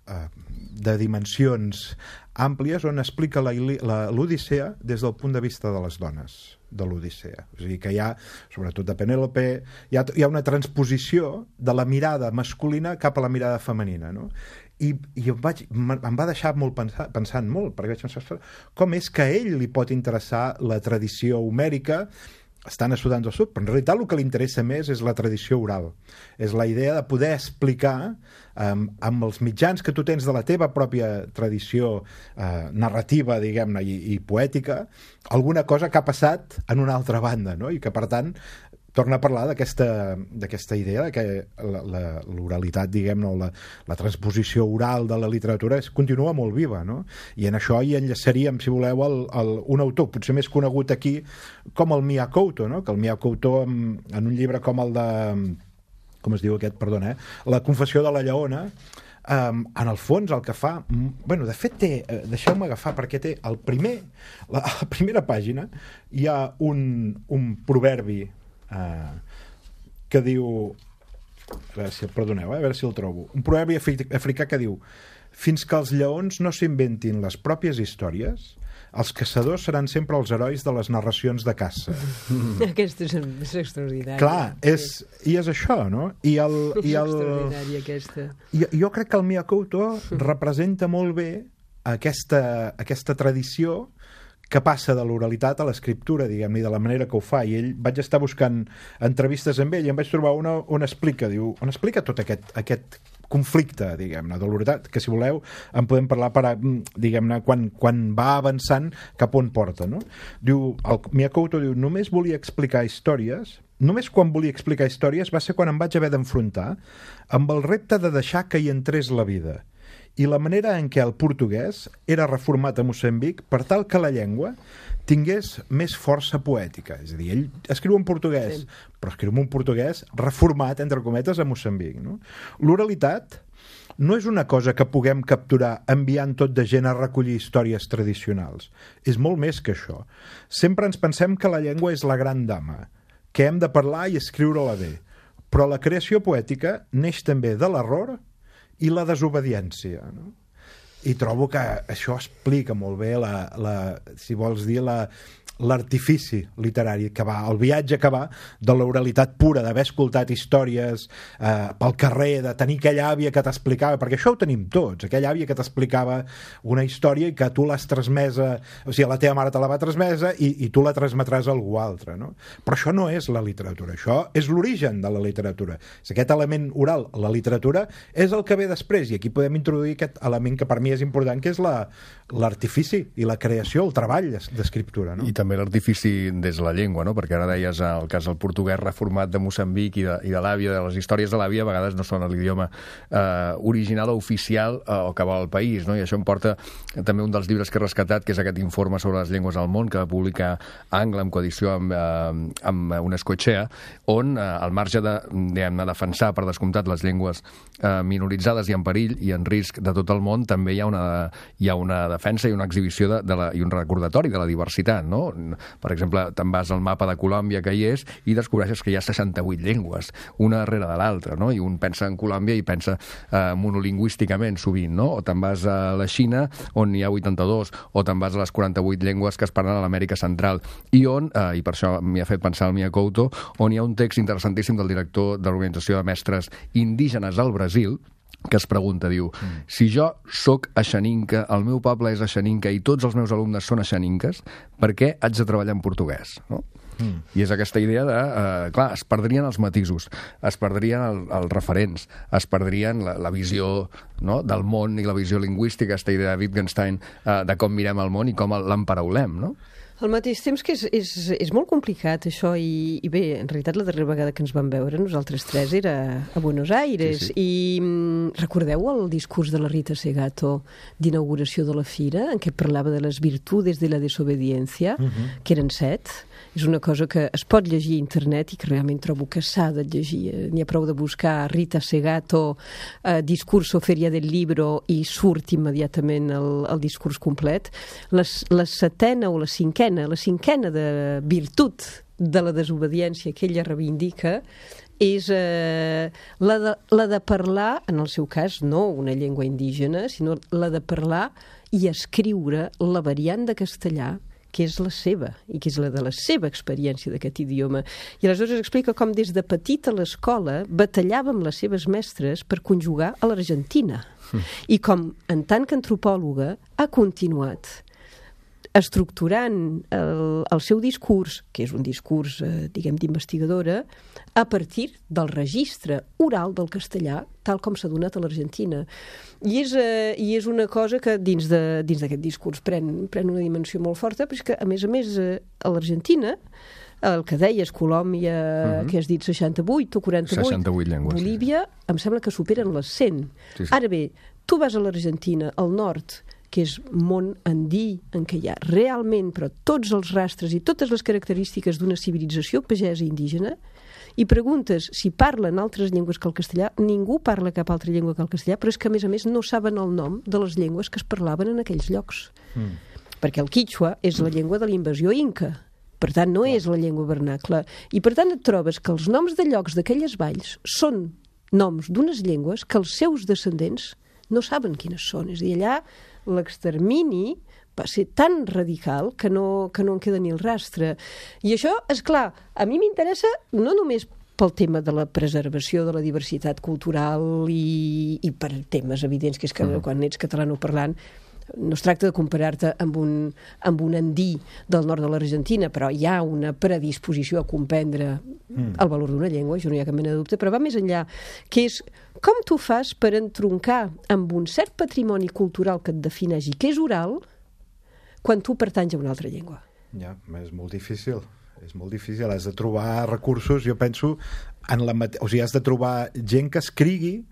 de dimensions àmplies on explica l'Odissea des del punt de vista de les dones de l'Odissea. És a dir, que hi ha, sobretot de Penèlope, hi ha una transposició de la mirada masculina cap a la mirada femenina, no? I em va deixar molt pensant molt, perquè vaig pensar com és que a ell li pot interessar la tradició homèrica estan estudant el sud, però en realitat el que li interessa més és la tradició oral. És la idea de poder explicar amb els mitjans que tu tens de la teva pròpia tradició narrativa, diguem-ne, i poètica, alguna cosa que ha passat en una altra banda, no? I que, per tant, torna a parlar d'aquesta idea de que l'oralitat, diguem-ne, o la transposició oral de la literatura continua molt viva, no? I en això hi enllaçaríem, si voleu, un autor potser més conegut aquí com el Mia Couto, no? Que el Mia Couto, en un llibre com el de... com es diu aquest, perdona, La confessió de la lleona, en el fons el que fa... Bueno, de fet té... Deixeu-me agafar, perquè té a la primera pàgina hi ha un proverbi que diu... Perdoneu, a veure si el trobo. Un proverbi africà que diu: fins que els lleons no s'inventin les pròpies històries, els caçadors seran sempre els herois de les narracions de caça. Aquesta és extraordinària. Clar, i és això, no? És extraordinària, aquesta. Jo crec que el Mia Couto representa molt bé aquesta tradició que passa de l'oralitat a l'escriptura, diguem-ne, de la manera que ho fa. I vaig estar buscant entrevistes amb ell i em vaig trobar una on explica tot aquest conflicte, diguem-ne, de l'oralitat, que si voleu en podem parlar diguem-ne, quan va avançant cap on porta, no? Diu, el Mia Couto diu: només quan volia explicar històries va ser quan em vaig haver d'enfrontar amb el repte de deixar que hi entrés la vida i la manera en què el portuguès era reformat a Moçambic per tal que la llengua tingués més força poètica. És a dir, ell escriu en portuguès, però escriu en un portuguès reformat, entre cometes, a Moçambic, no? L'oralitat no és una cosa que puguem capturar enviant tot de gent a recollir històries tradicionals. És molt més que això. Sempre ens pensem que la llengua és la gran dama, que hem de parlar i escriure-la bé. Però la creació poètica neix també de l'error i la desobediència, no? I trobo que això explica molt bé si vols dir l'artifici literari que va, el viatge que va de l'oralitat pura, d'haver escoltat històries pel carrer, de tenir aquella àvia que t'explicava, perquè això ho tenim tots, aquella àvia que t'explicava una història i que tu l'has transmesa, o sigui, la teva mare te la va transmesa i tu la transmetràs a algú altre, no? Però això no és la literatura, això és l'origen de la literatura, és aquest element oral. La literatura és el que ve després, i aquí podem introduir aquest element que per mi és important, que és l'artifici i la creació, el treball d'escriptura, no? I també l'artifici des de la llengua, no? Perquè ara deies el cas del portuguès reformat de Moçambic i de l'àvia, de les històries de l'àvia, a vegades no són l'idioma original o oficial o que va al país, no? I això em porta també un dels llibres que he rescatat, que és aquest informe sobre les llengües al món, que va publicar Angle en coedició amb Unescochea, on al marge de defensar, per descomptat, les llengües minoritzades i en perill i en risc de tot el món, també hi ha una defensa i una exhibició i un recordatori de la diversitat, no? Per exemple, te'n vas al mapa de Colòmbia que hi és i descobreixes que hi ha 68 llengües, una darrere de l'altra, no? I un pensa en Colòmbia i pensa monolingüísticament sovint, no? O te'n vas a la Xina, on hi ha 82, o te'n vas a les 48 llengües que es parlen a l'Amèrica Central, i on, i per això m'hi ha fet pensar el Mia Couto, on hi ha un text interessantíssim del director de l'Organització de Mestres Indígenes al Brasil, que es pregunta, diu, si jo sóc aixaninca, el meu poble és aixaninca i tots els meus alumnes són aixaninques, per què haig de treballar en portuguès? No? I és aquesta idea de, clar, es perdrien els matisos, es perdrien els referents, es perdrien la visió, no?, del món i la visió lingüística, aquesta idea de Wittgenstein de com mirem el món i com l'emparaulem, no? Al mateix temps que és molt complicat això i bé, en realitat la darrera vegada que ens vam veure nosaltres tres era a Buenos Aires, sí. I recordeu el discurs de la Rita Segato d'inauguració de la fira en què parlava de les virtudes de la desobediència, que eren 7. És una cosa que es pot llegir a internet i que realment trobo que s'ha de llegir. N'hi ha prou de buscar Rita Segato discurso Feria del Libro i surt immediatament el discurs complet. La setena o la cinquena de virtut de la desobediència que ella reivindica és la de parlar, en el seu cas, no una llengua indígena, sinó la de parlar i escriure la variant de castellà que és la seva, i que és la de la seva experiència d'aquest idioma. I aleshores explica com des de petita a l'escola batallava amb les seves mestres per conjugar a l'Argentina. I com, en tant que antropòloga, ha continuat estructurant el seu discurs, que és un discurs, diguem, d'investigadora, a partir del registre oral del castellà, tal com s'ha donat a l'Argentina. I és una cosa que dins d'aquest discurs pren una dimensió molt forta, però és que, a més, a l'Argentina, el que deies, Colòmbia, que has dit 68 o 48, 68 llengües, Bolívia, em sembla que superen les 100. Sí. Ara bé, tu vas a l'Argentina, al nord, que és món andí, en què hi ha realment, però tots els rastres i totes les característiques d'una civilització pagesa indígena, i preguntes si parlen altres llengües que el castellà, ningú parla cap altra llengua que el castellà, però és que, a més, no saben el nom de les llengües que es parlaven en aquells llocs. Perquè el quichua és la llengua de la invasió inca, per tant, no és la llengua vernacla. I, per tant, et trobes que els noms de llocs d'aquelles valls són noms d'unes llengües que els seus descendents no saben quines són. És a dir, allà l'extermini va ser tan radical que no en queda ni el rastre. I això, és clar, a mi m'interessa no només pel tema de la preservació de la diversitat cultural i per temes evidents, que és que quan ets catalanoparlant no es tracta de comparar-te amb un andí del nord de l'Argentina, però hi ha una predisposició a comprendre el valor d'una llengua, això no hi ha cap mena de dubte, però va més enllà, que és com tu fas per entroncar amb un cert patrimoni cultural que et defineix i que és oral quan tu pertanys a una altra llengua. Ja, és molt difícil. És molt difícil, has de trobar recursos, jo penso, o sigui, has de trobar gent que escrigui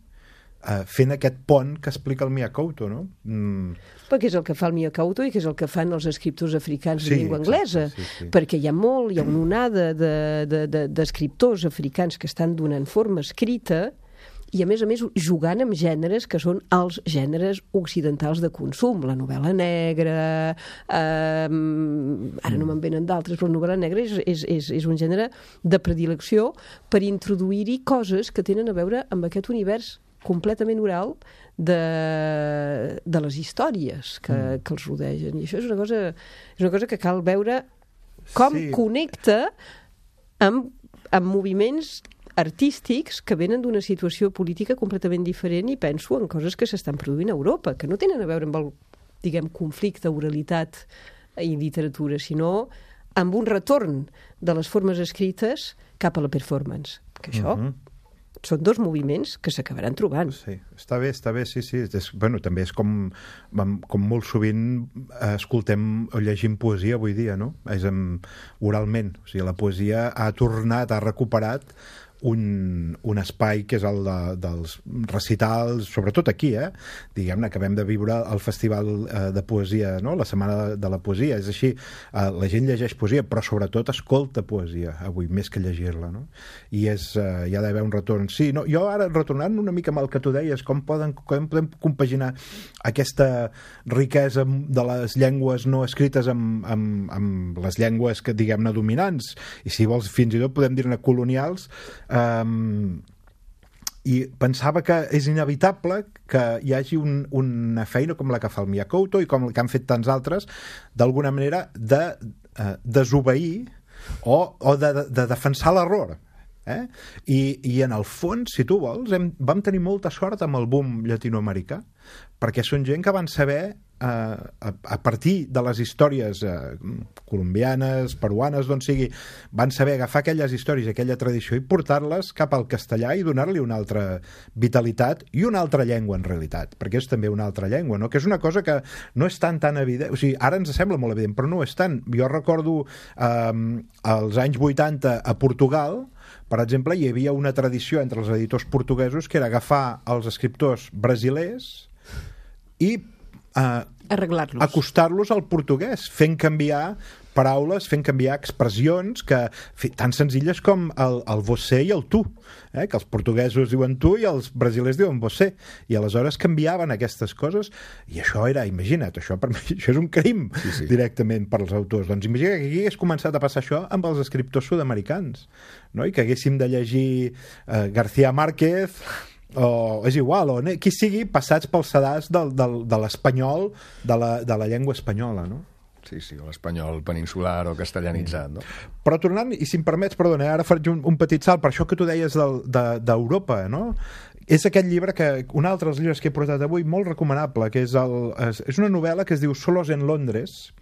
fent aquest pont que explica el Mia Couto, no? Perquè és el que fa el Mia Couto i que és el que fan els escriptors africans de llengua anglesa, sí. perquè hi ha una onada d'escriptors africans que estan donant forma escrita i, a més, jugant amb gèneres que són els gèneres occidentals de consum. La novel·la negra, ara no me'n venen d'altres, però la novel·la negra és un gènere de predilecció per introduir-hi coses que tenen a veure amb aquest univers completament oral de les històries que els rodegen. I això és una cosa que cal veure com connecta amb moviments artístics que venen d'una situació política completament diferent, i penso en coses que s'estan produint a Europa, que no tenen a veure amb el, diguem, conflicte, oralitat i literatura, sinó amb un retorn de les formes escrites cap a la performance. Que això són dos moviments que s'acabaran trobant. Sí, està bé, sí. Bueno, també és com molt sovint escoltem o llegim poesia avui dia, no? És oralment. O sigui, la poesia ha tornat, ha recuperat un espai que és el dels recitals, sobretot aquí, diguem-ne, acabem de viure el festival de poesia, no? La setmana de la poesia, és així, la gent llegeix poesia, però sobretot escolta poesia avui, més que llegir-la, no? I hi ha d'haver un retorn. Sí, no, jo ara, retornant una mica amb el que tu deies, com podem compaginar aquesta riquesa de les llengües no escrites amb les llengües que, diguem-ne, dominants, i si vols fins i tot podem dir-ne colonials, i pensava que és inevitable que hi hagi una feina com la que fa el Mia Couto i com la que han fet tants altres, d'alguna manera de desobeir o de defensar l'error. I en el fons, si tu vols, vam tenir molta sort amb el boom llatinoamericà, perquè són gent que van saber, a partir de les històries colombianes, peruanes, d'on sigui, van saber agafar aquelles històries, aquella tradició, i portar-les cap al castellà i donar-li una altra vitalitat i una altra llengua, en realitat, perquè és també una altra llengua, no? Que és una cosa que no és tan evident, o sigui, ara ens sembla molt evident, però no és tant. Jo recordo als anys 80 a Portugal, per exemple, hi havia una tradició entre els editors portuguesos que era agafar els escriptors brasilers i arreglar-los, acostar-los al portuguès, fent canviar paraules, fent canviar expressions tan senzilles com el você i el tu, que els portuguesos diuen tu i els brasilers diuen você, i aleshores canviaven aquestes coses, i això era, imagina't, això per mi això és un crim, directament per als autors. Doncs imagina que aquí hagués començat a passar això amb els escriptors sud-americans, no? I que haguéssim de llegir García Márquez o és igual, o qui sigui, passats pels sedars de l'espanyol, de la llengua espanyola, no? Sí, o l'espanyol peninsular o castellanitzat, no? Però tornant, i si em permets, perdona, ara faig un petit salt, per això que tu deies d'Europa, no? És aquest llibre, un altre dels llibres que he portat avui, molt recomanable, que és una novel·la que es diu Solos en Londres,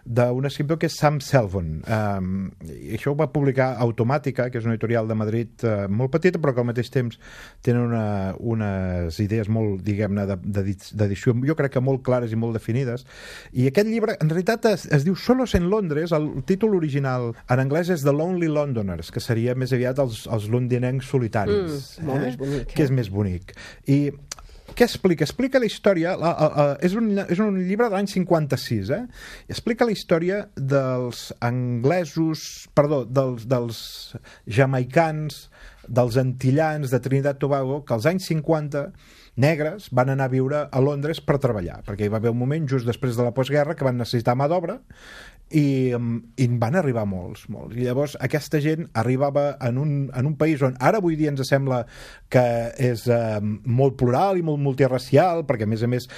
d'un escriptor que és Sam Selvon. I això ho va publicar Automàtica, que és una editorial de Madrid molt petita, però que al mateix temps tenen unes idees molt, diguem-ne, d'edició, jo crec que molt clares i molt definides. I aquest llibre, en realitat, es diu Solos en Londres. El títol original en anglès és The Lonely Londoners, que seria més aviat els londinencs solitaris. Molt més bonic. Que és més bonic. I què explica? Explica la història... és un llibre de l'any 56, Explica la història dels anglesos... Perdó, dels jamaicans, dels antillans de Trinidad i Tobago, que als anys 50 negres van anar a viure a Londres per treballar, perquè hi va haver un moment just després de la postguerra que van necessitar mà d'obra i van arribar molts. I llavors aquesta gent arribava en un país on ara avui dia ens sembla que és molt plural i molt multirracial, perquè a més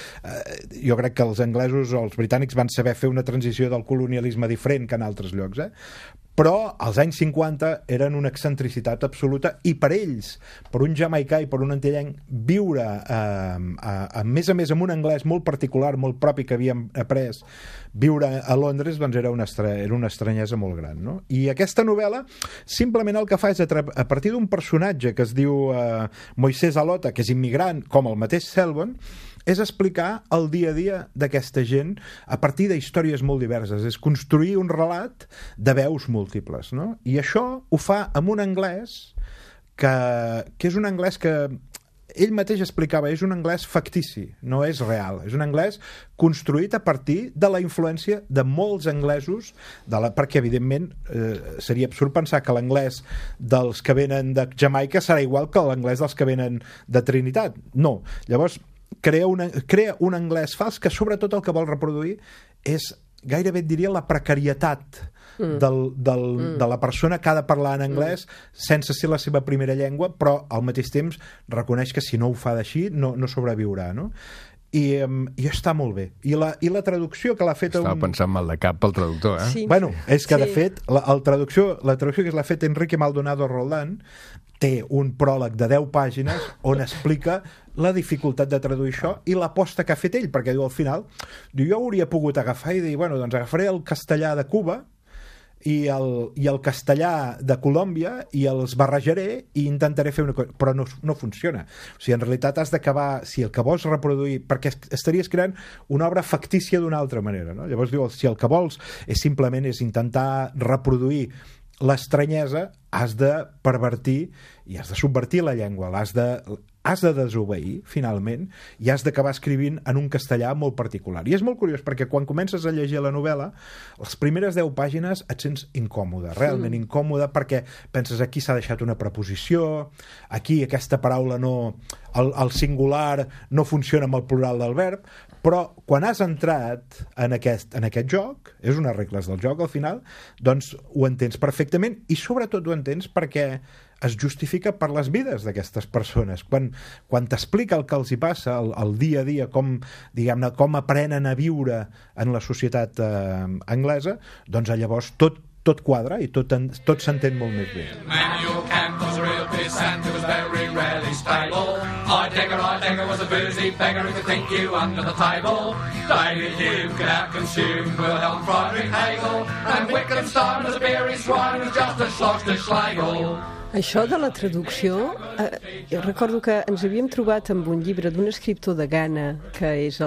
jo crec que els anglesos o els britànics van saber fer una transició del colonialisme diferent que en altres llocs, però als anys 50 eren una excentricitat absoluta i per ells, per un jamaicà i per un antillenc, viure a més amb un anglès molt particular, molt propi que havíem après, viure a Londres, doncs era una estranyesa molt gran, no? I aquesta novel·la simplement el que fa és a partir d'un personatge que es diu Moisés Alota, que és immigrant, com el mateix Selvon, és explicar el dia a dia d'aquesta gent a partir de històries molt diverses, és construir un relat de veus múltiples, no? I això ho fa amb un anglès que és un anglès que ell mateix explicava, és un anglès factici, no és real, és un anglès construït a partir de la influència de molts anglesos, perquè evidentment seria absurd pensar que l'anglès dels que venen de Jamaica serà igual que l'anglès dels que venen de Trinitat, no. Llavors crea un anglès fals que sobretot el que vol reproduir és, gairebé et diria, la precarietat de la persona que ha de parlar en anglès sense ser la seva primera llengua, però al mateix temps reconeix que si no ho fa d'així no sobreviurà, no? I està molt bé. I la traducció que l'ha fet... Estava pensant mal de cap pel traductor, Sí. Bueno, és que de fet la traducció que l'ha fet Enrique Maldonado Roldán té un pròleg de 10 pàgines on explica la dificultat de traduir això i l'aposta que ha fet ell, perquè diu al final, jo hauria pogut agafar i dir, bueno, doncs agafaré el castellà de Cuba i el castellà de Colòmbia i els barrejaré i intentaré fer una cosa, però no funciona. O sigui, en realitat has d'acabar, si el que vols reproduir, perquè estaries creant una obra factícia d'una altra manera, no? Llavors diu, si el que vols simplement és intentar reproduir l'estranyesa, has de pervertir i has de subvertir la llengua, has de desobeir, finalment, i has d'acabar escrivint en un castellà molt particular. I és molt curiós, perquè quan comences a llegir la novel·la, les primeres 10 pàgines et sents incòmode, realment incòmode, perquè penses aquí s'ha deixat una preposició, aquí aquesta paraula no... el singular no funciona amb el plural del verb, però quan has entrat en aquest joc, és unes regles del joc al final, doncs ho entens perfectament i sobretot ho entens perquè es justifica per les vides d'aquestes persones. Quan t'explica el que els hi passa, el dia a dia, com aprenen a viure en la societat anglesa, doncs llavors tot quadra i tot s'entén molt més bé. Manuel Kant was a real pissant who was very rarely stable. Heidegger was a boozy beggar who could think you under the table. David Hume could out-consume Wilhelm Friedrich Hegel. And Wittgenstein was a beery swine who was just a schloss to Schlegel. Això de la traducció, jo recordo que ens havíem trobat amb un llibre d'un escriptor de Ghana, que és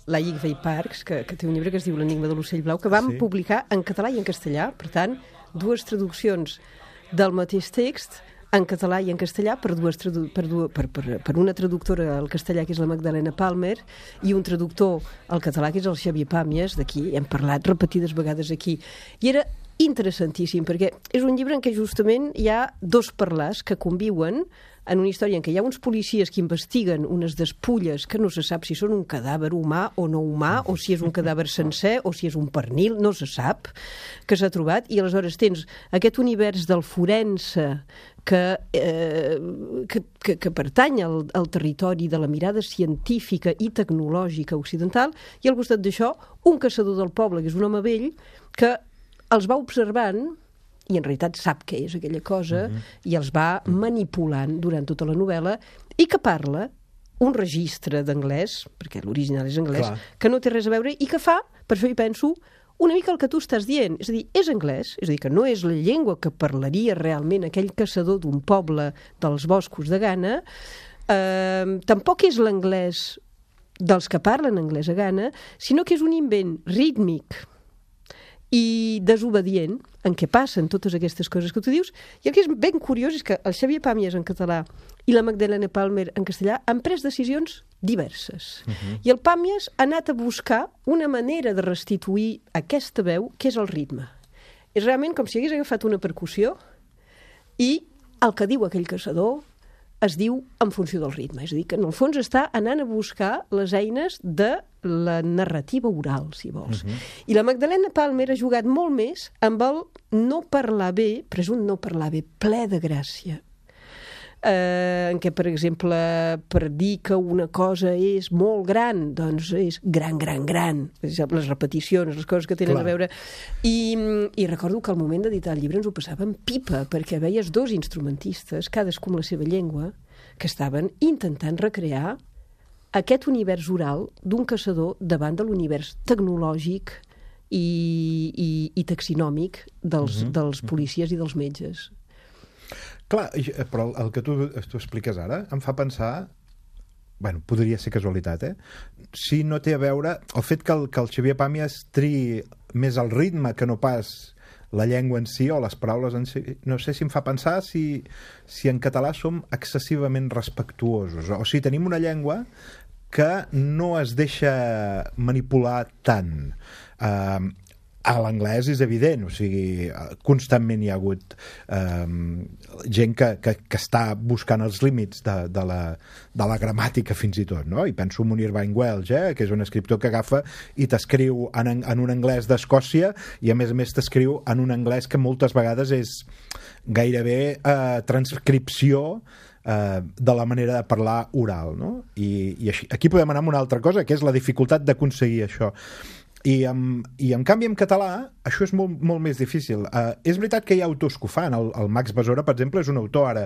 Laïc Vey Parks, que té un llibre que es diu L'enigma de l'ocell blau, que vam publicar en català i en castellà, per tant, 2 traduccions del mateix text en català i en castellà per una traductora al castellà, que és la Magdalena Palmer, i un traductor al català, que és el Xavier Pàmies, d'aquí, hem parlat repetides vegades aquí. I era interessantíssim, perquè és un llibre en què justament hi ha 2 parlars que conviuen en una història en què hi ha uns policies que investiguen unes despulles que no se sap si són un cadàver humà o no humà, o si és un cadàver sencer, o si és un pernil, no se sap, que s'ha trobat, i aleshores tens aquest univers del forense que pertany al territori de la mirada científica i tecnològica occidental, i al costat d'això un caçador del poble, que és un home vell, que els va observant i en realitat sap què és aquella cosa i els va manipulant durant tota la novel·la, i que parla un registre d'anglès, perquè l'original és anglès, Clar. que no té res a veure i que fa, per això hi penso, una mica el que tu estàs dient. És a dir, és anglès, és a dir, que no és la llengua que parlaria realment aquell caçador d'un poble dels boscos de Ghana, tampoc és l'anglès dels que parlen anglès a Ghana, sinó que és un invent rítmic i desobedient en què passen totes aquestes coses que tu dius, i el que és ben curiós és que el Xavier Pàmies en català i la Magdalena Palmer en castellà han pres decisions diverses. I el Pàmies ha anat a buscar una manera de restituir aquesta veu, que és el ritme. És realment com si hagués agafat una percussió i el que diu aquell caçador es diu en funció del ritme. És a dir, que en el fons està anant a buscar les eines de la narrativa oral, si vols. I la Magdalena Palmer ha jugat molt més amb el no parlar bé, però és un no parlar bé ple de gràcia. En què, per exemple, per dir que una cosa és molt gran, doncs és gran, gran, gran. Les repeticions, les coses que tenen a veure. I recordo que al moment d'editar el llibre ens ho passàvem pipa, perquè veies dos instrumentistes, cadascú amb la seva llengua, que estaven intentant recrear aquest univers oral d'un caçador davant de l'univers tecnològic i taxinòmic dels policies i dels metges. Clar, però el que tu expliques ara em fa pensar, bueno, podria ser casualitat, si no té a veure el fet que el Xavier Pàmies triï més el ritme que no pas la llengua en si o les paraules en si. No sé si em fa pensar si en català som excessivament respectuosos, o si tenim una llengua que no es deixa manipular tant. A l'anglès és evident, o sigui, constantment hi ha hagut gent que està buscant els límits de la gramàtica fins i tot, no? I penso en Munir Vine Welch, que és un escriptor que agafa i t'escriu en un anglès d'Escòcia i a més t'escriu en un anglès que moltes vegades és gairebé transcripció de la manera de parlar oral, no? I aquí podem anar amb una altra cosa, que és la dificultat d'aconseguir això. I en canvi en català això és molt, molt més difícil. És veritat que hi ha autors que ho fan. El Max Besora, per exemple, és un autor ara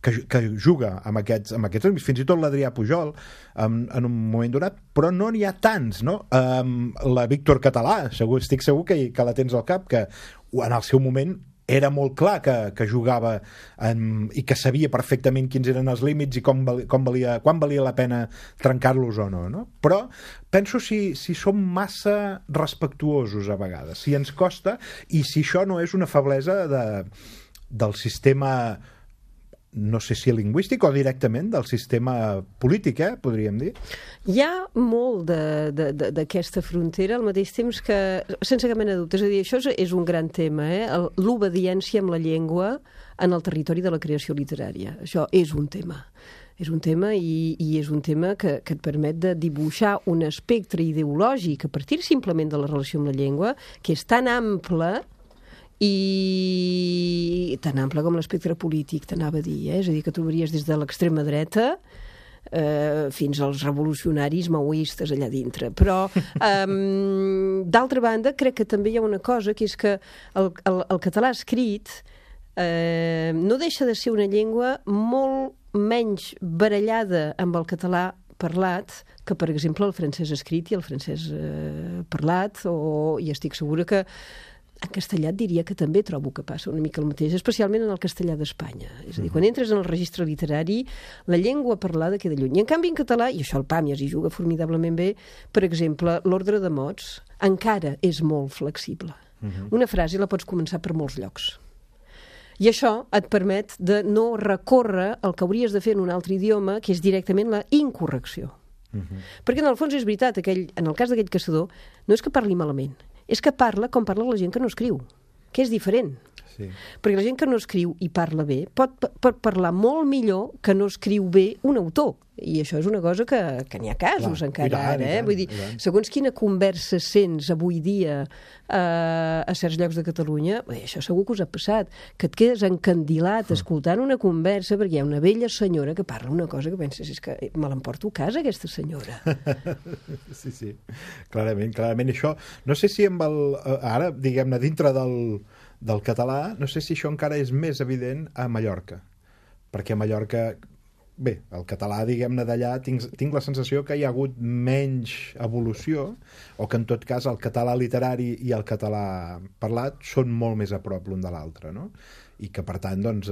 que juga amb aquests ritmes, fins i tot l'Adrià Pujol en un moment donat, però no n'hi ha tants, no? La Víctor Català, estic segur que la tens al cap, que en el seu moment era molt clar que jugava i que sabia perfectament quins eren els límits i quan valia la pena trencar-los o no, no? Però penso si som massa respectuosos a vegades, si ens costa, i si això no és una feblesa del sistema, no sé si lingüístic o directament del sistema polític, podríem dir. Hi ha molt d'aquesta frontera, al mateix temps que, sense cap mena de dubte, és a dir, això és un gran tema, l'obediència amb la llengua en el territori de la creació literària. Això és un tema. És un tema i és un tema que et permet de dibuixar un espectre ideològic a partir simplement de la relació amb la llengua, que és tan ample i tan ample com l'espectre polític, t'anava a dir, és a dir, que trobaries des de l'extrema dreta fins als revolucionaris maoistes allà dintre. Però, d'altra banda, crec que també hi ha una cosa, que és que el català escrit no deixa de ser una llengua molt menys barallada amb el català parlat que, per exemple, el francès escrit i el francès parlat, i estic segura que en castellà et diria que també trobo que passa una mica el mateix, especialment en el castellà d'Espanya. És a dir, quan entres en el registre literari, la llengua parlada queda lluny. I en canvi en català, i això el Pàmies hi juga formidablement bé, per exemple, l'ordre de mots encara és molt flexible. Una frase la pots començar per molts llocs. I això et permet de no recórrer el que hauries de fer en un altre idioma, que és directament la incorrecció. Perquè en el fons és veritat, en el cas d'aquell caçador, no és que parli malament, és que parla com parla la gent que no escriu, que és diferent. Sí. Perquè la gent que no escriu i parla bé pot parlar molt millor que no escriu bé un autor. I això és una cosa que n'hi ha casos encara ara. Vull dir, segons quina conversa sents avui dia a certs llocs de Catalunya, això segur que us ha passat, que et quedes encandilat escoltant una conversa perquè hi ha una vella senyora que parla una cosa que penses, és que me l'emporto a casa, aquesta senyora. Sí, clarament. Això, no sé si ara, diguem-ne, dintre del català, no sé si això encara és més evident a Mallorca, perquè a Mallorca bé, el català, diguem-ne, d'allà, tinc la sensació que hi ha hagut menys evolució, o que en tot cas el català literari i el català parlat són molt més a prop l'un de l'altre, no? I que per tant, doncs,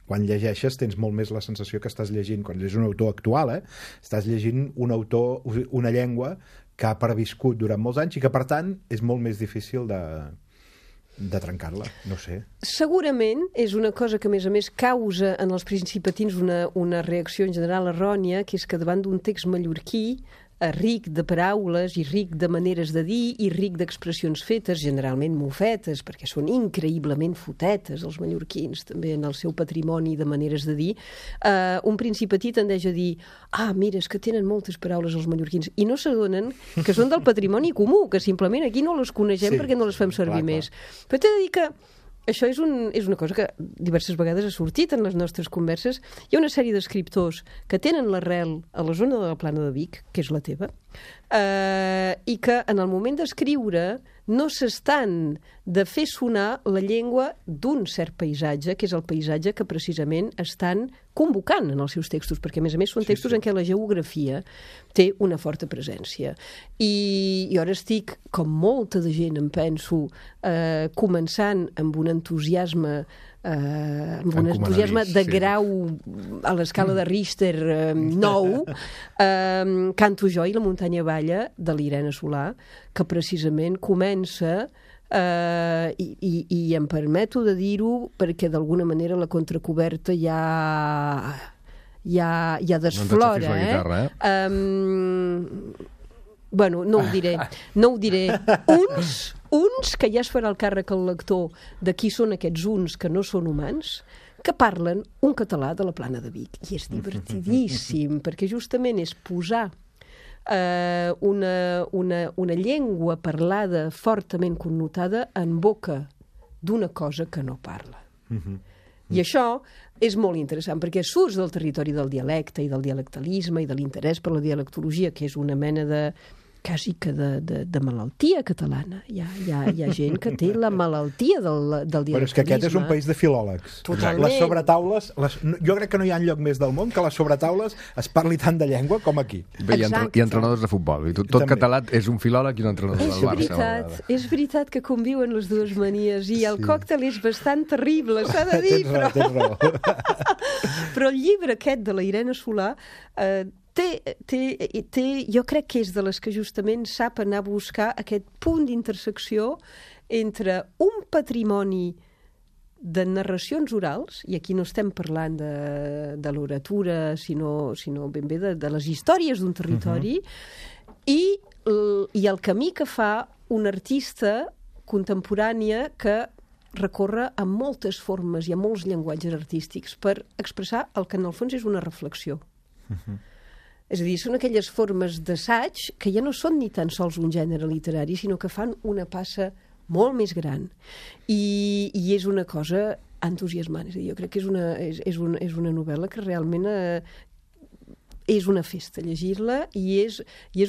quan llegeixes tens molt més la sensació que estàs llegint, quan és un autor actual, estàs llegint un autor, una llengua que ha perviscut durant molts anys i que per tant és molt més difícil de trencar-la, no sé. Segurament és una cosa que, a més, causa en els principatins una reacció en general errònia, que és que davant d'un text mallorquí ric de paraules i ric de maneres de dir i ric d'expressions fetes, generalment mofetes, perquè són increïblement fotetes els mallorquins, també en el seu patrimoni de maneres de dir, un principatí tendeix a dir mira, és que tenen moltes paraules els mallorquins, i no s'adonen que són del patrimoni comú, que simplement aquí no les coneixem perquè no les fem servir més. Però t'he de dir que això és una cosa que diverses vegades ha sortit en les nostres converses. Hi ha una sèrie d'escriptors que tenen l'arrel a la zona de la Plana de Vic, que és la teva, i que en el moment d'escriure no s'estan de fer sonar la llengua d'un cert paisatge, que és el paisatge que precisament estan convocant en els seus textos, perquè a més són textos en què la geografia té una forta presència. I ara estic, com molta de gent em penso, començant amb un entusiasme de grau a l'escala de Richter 9, Canto jo i la muntanya balla de l'Irene Solà, que precisament comença i em permeto de dir-ho perquè d'alguna manera la contracoberta ja desflora. No ens la guitarra, Bueno, no ho diré. Uns que ja es farà el càrrec al lector de qui són aquests uns que no són humans, que parlen un català de la Plana de Vic. I és divertidíssim, perquè justament és posar una llengua parlada fortament connotada en boca d'una cosa que no parla. I això és molt interessant, perquè surts del territori del dialecte i del dialectalisme i de l'interès per la dialectologia, que és una mena de quasi que de malaltia catalana. Hi ha gent que té la malaltia del dialectalisme. Però és que aquest és un país de filòlegs. Totalment. Les sobretaules, jo crec que no hi ha enlloc més del món que les sobretaules es parli tant de llengua com aquí. Bé, hi ha entrenadors de futbol. I tot català és un filòleg i un entrenador del Barça. És veritat que conviuen les dues manies i el còctel és bastant terrible, s'ha de dir. Tens raó. Però el llibre aquest de la Irene Solà jo crec que és de les que justament sap anar a buscar aquest punt d'intersecció entre un patrimoni de narracions orals, i aquí no estem parlant de l'oratura, sinó ben bé de les històries d'un territori, i el camí que fa una artista contemporània que recorre a moltes formes i a molts llenguatges artístics per expressar el que en el fons és una reflexió. És a dir, són aquelles formes d'assaig que ja no són ni tan sols un gènere literari, sinó que fan una passa molt més gran. I és una cosa entusiasmant. És a dir, jo crec que és una novel·la que realment és una festa llegir-la i és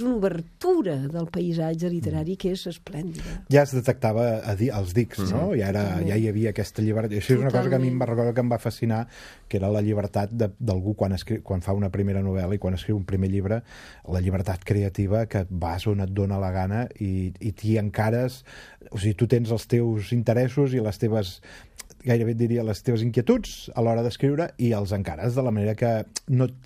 una obertura del paisatge literari que és esplèndida. Ja es detectava als dics, no? Ja hi havia aquesta llibertat. Això és una cosa que a mi em va fascinar, que era la llibertat d'algú quan fa una primera novel·la i quan escriu un primer llibre, la llibertat creativa, que vas on et dóna la gana i t'hi encares. O sigui, tu tens els teus interessos i les teves, gairebé diria, les teves inquietuds a l'hora d'escriure i els encares de la manera que,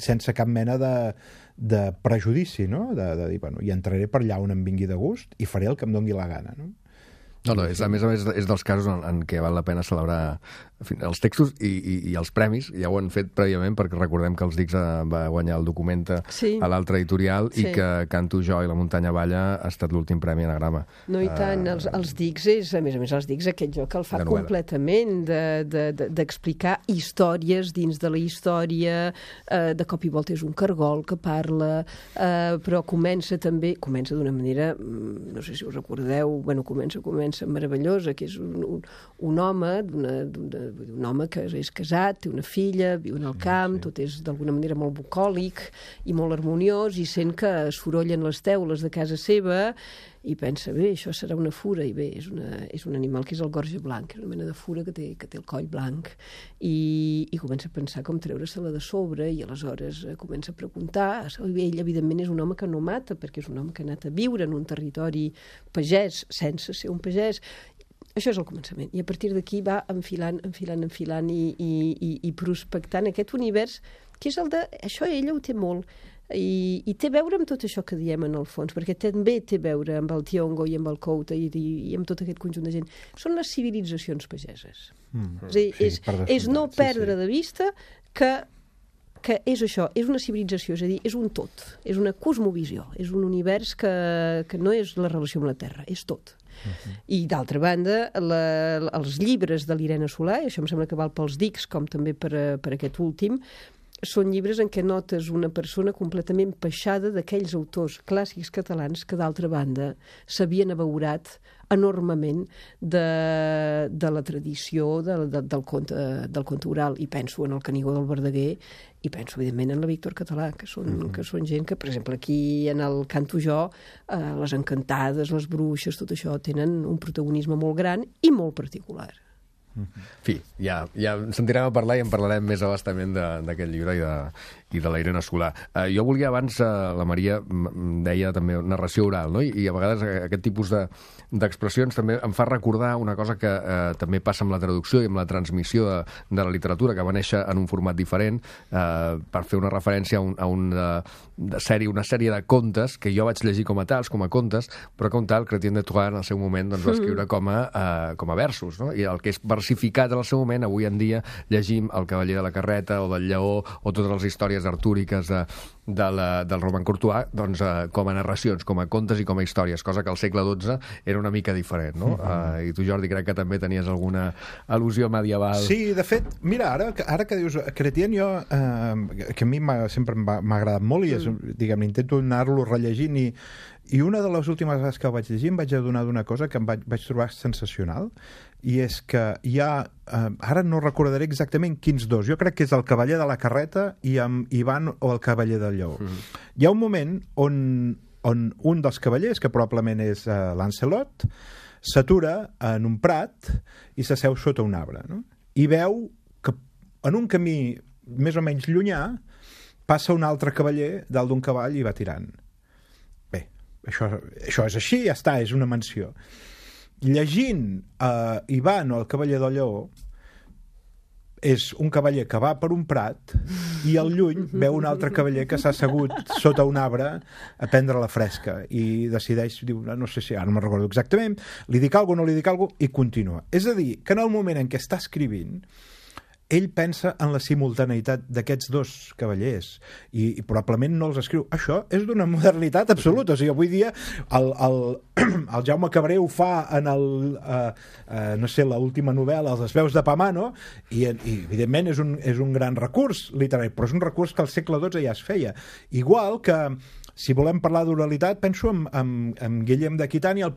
sense cap mena de prejudici, no? De dir, bueno, hi entraré per allà on em vingui de gust i faré el que em doni la gana, no? A més a més, és dels casos en què val la pena celebrar els textos i els premis. Ja ho han fet prèviament, perquè recordem que els Dics va guanyar el Documenta a l'altre editorial i que Canto jo i la muntanya balla ha estat l'últim premi Anagrama. No, i tant. Els Dics és, a més, els Dics, aquest joc el fa completament d'explicar històries dins de la història. De cop i volta és un cargol que parla, però comença d'una manera, no sé si us recordeu, comença meravellosa, que és un home que és casat, té una filla, viu en el camp, tot és d'alguna manera molt bucòlic i molt harmoniós, i sent que es sorollen les teules de casa seva i pensa, bé, això serà una fura, i bé, és un animal que és el gorge blanc, és una mena de fura que té el coll blanc, i comença a pensar com treure-se-la de sobre, i aleshores comença a preguntar. Ell, evidentment, és un home que no mata, perquè és un home que ha anat a viure en un territori pagès, sense ser un pagès. Això és el començament. I a partir d'aquí va enfilant i prospectant aquest univers, que és el de... Això ella ho té molt. I té a veure amb tot això que diem en el fons, perquè també té a veure amb el Tiongo i amb el Couta i amb tot aquest conjunt de gent. Són les civilitzacions pageses. És no perdre de vista que és això, és una civilització, és a dir, és un tot, és una cosmovisió, és un univers que no és la relació amb la Terra, és tot. I d'altra banda, els llibres de l'Irene Solà, i això em sembla que val pels dics com també per aquest últim, són llibres en què notes una persona completament peixada d'aquells autors clàssics catalans que, d'altra banda, s'havien abeurat enormement de la tradició del conte oral. I penso en el Canigó del Verdaguer i penso, evidentment, en la Víctor Català, que són gent que, per exemple, aquí en el Canto Jo, les encantades, les bruixes, tot això tenen un protagonisme molt gran i molt particular. En fi, ja sentirem a parlar i en parlarem més abastament d'aquest llibre i de la Irene Solà. Jo volia abans, la Maria deia també narració oral, no? I a vegades aquest tipus d'expressions també em fa recordar una cosa que també passa amb la traducció i amb la transmissió de la literatura, que va néixer en un format diferent, per fer una referència a una sèrie de contes que jo vaig llegir com a tals, com a contes, però com tal, Chrétien de Troyes en el seu moment va escriure com a versos, no? I el que és versificat en el seu moment, avui en dia llegim El cavaller de la carreta o del lleó o totes les històries artúriques del Roman Courtois, doncs com a narracions, com a contes i com a històries, cosa que al segle XII era una mica diferent, no? I tu, Jordi, crec que també tenies alguna al·lusió medieval. Sí, de fet, mira, ara que dius Chrétien, jo, que a mi sempre m'ha agradat molt i diguem, intento anar-lo rellegint i una de les últimes vegades que el vaig llegir em vaig adonar d'una cosa que em vaig trobar sensacional, i és que hi ha, ara no recordaré exactament quins dos, jo crec que és el cavaller de la carreta i amb Ivan o el cavaller del lleó. Hi ha un moment on un dels cavallers, que probablement és Lancelot, s'atura en un prat i s'asseu sota un arbre, no? I veu que en un camí més o menys llunyà passa un altre cavaller dalt d'un cavall i va tirant. Bé, això és així, ja està, és una menció. Llegint Ivan o el cavaller del lleó, és un cavaller que va per un prat i al lluny veu un altre cavaller que s'ha assegut sota un arbre a prendre la fresca i decideix, diu, no sé si, ara no me'n recordo exactament, li dic alguna cosa, no li dic alguna cosa, i continua. És a dir, que en el moment en què està escrivint, ell pensa en la simultaneïtat d'aquests dos cavallers i probablement no els escriu. Això és d'una modernitat absoluta. O sigui, avui dia el Jaume Cabré ho fa en no sé, l'última novel·la, Les veus de Pamano, i evidentment és un gran recurs literari, però és un recurs que al segle XII ja es feia. Igual que, si volem parlar d'oralitat, penso en Guillem d'Aquitània, el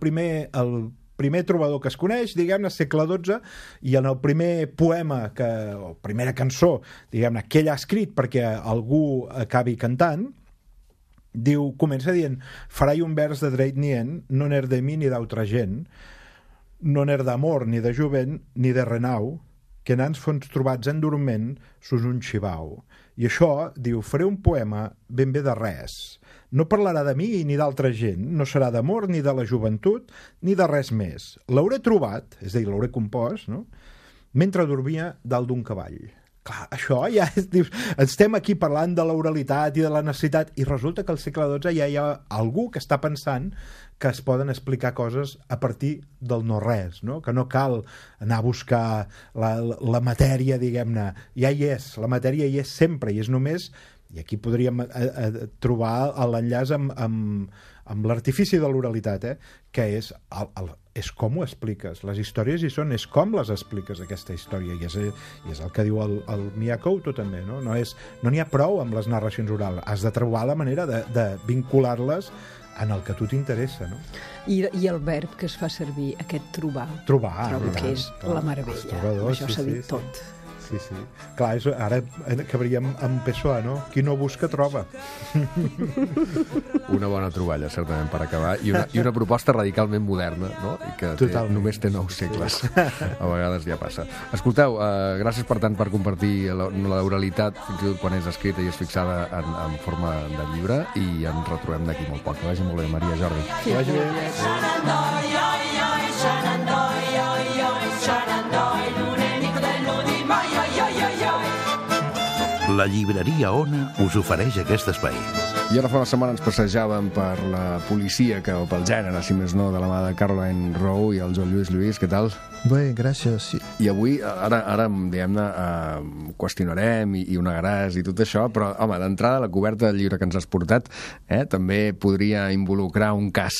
primer trobador que es coneix, diguem-ne, segle XII, i en el primer poema, o primera cançó, diguem-ne, que ell ha escrit perquè algú acabi cantant, comença dient: farai un vers de dret nient, no n'er de mi ni d'altra gent, no n'er d'amor ni de jovent ni de renau, que nans fons trobats en dorment sus un xivau. I això, diu, faré un poema ben bé de res. No parlarà de mi ni d'altra gent, no serà d'amor ni de la joventut, ni de res més. L'hauré trobat, és a dir, l'hauré compost, no?, mentre dormia dalt d'un cavall. Clar, això ja és... Dius, estem aquí parlant de l'oralitat i de la necessitat, i resulta que al segle XII ja hi ha algú que està pensant que es poden explicar coses a partir del no-res, no? Que no cal anar a buscar la matèria, diguem-ne. Ja hi és, la matèria hi és sempre, i és només... I aquí podríem trobar l'enllaç amb l'artifici de l'oralitat, que és com ho expliques. Les històries hi són, és com les expliques, aquesta història. I és el que diu el Mia Couto també, no? No n'hi ha prou amb les narracions orals. Has de trobar la manera de vincular-les en el que a tu t'interessa, no? I el verb que es fa servir, aquest trobar. Trobo que és la meravella. Això s'ha dit tot. sí. Clar, ara acabaríem amb Pessoa, no? Qui no busca, troba. Una bona troballa, certament, per acabar. I una proposta radicalment moderna, no? I que només té 9 segles. A vegades ja passa. Escolteu, gràcies per tant per compartir l'oralitat, fins i tot quan és escrita i és fixada en forma de llibre, i ens retrobem d'aquí molt poc. Que vagi molt bé, Maria, Jordi. Que vagi bé. La llibreria Ona us ofereix aquest espai. I ara fa una setmana ens passejàvem per la policia, o pel gènere, si més no, de la mà de Caroline Rowe i el Joan Lluís Lluís. Què tal? Bé, gràcies. Sí. I avui, ara diguem-ne, qüestionarem i ho negaràs i tot això, però, home, d'entrada, la coberta del llibre que ens has portat també podria involucrar un cas.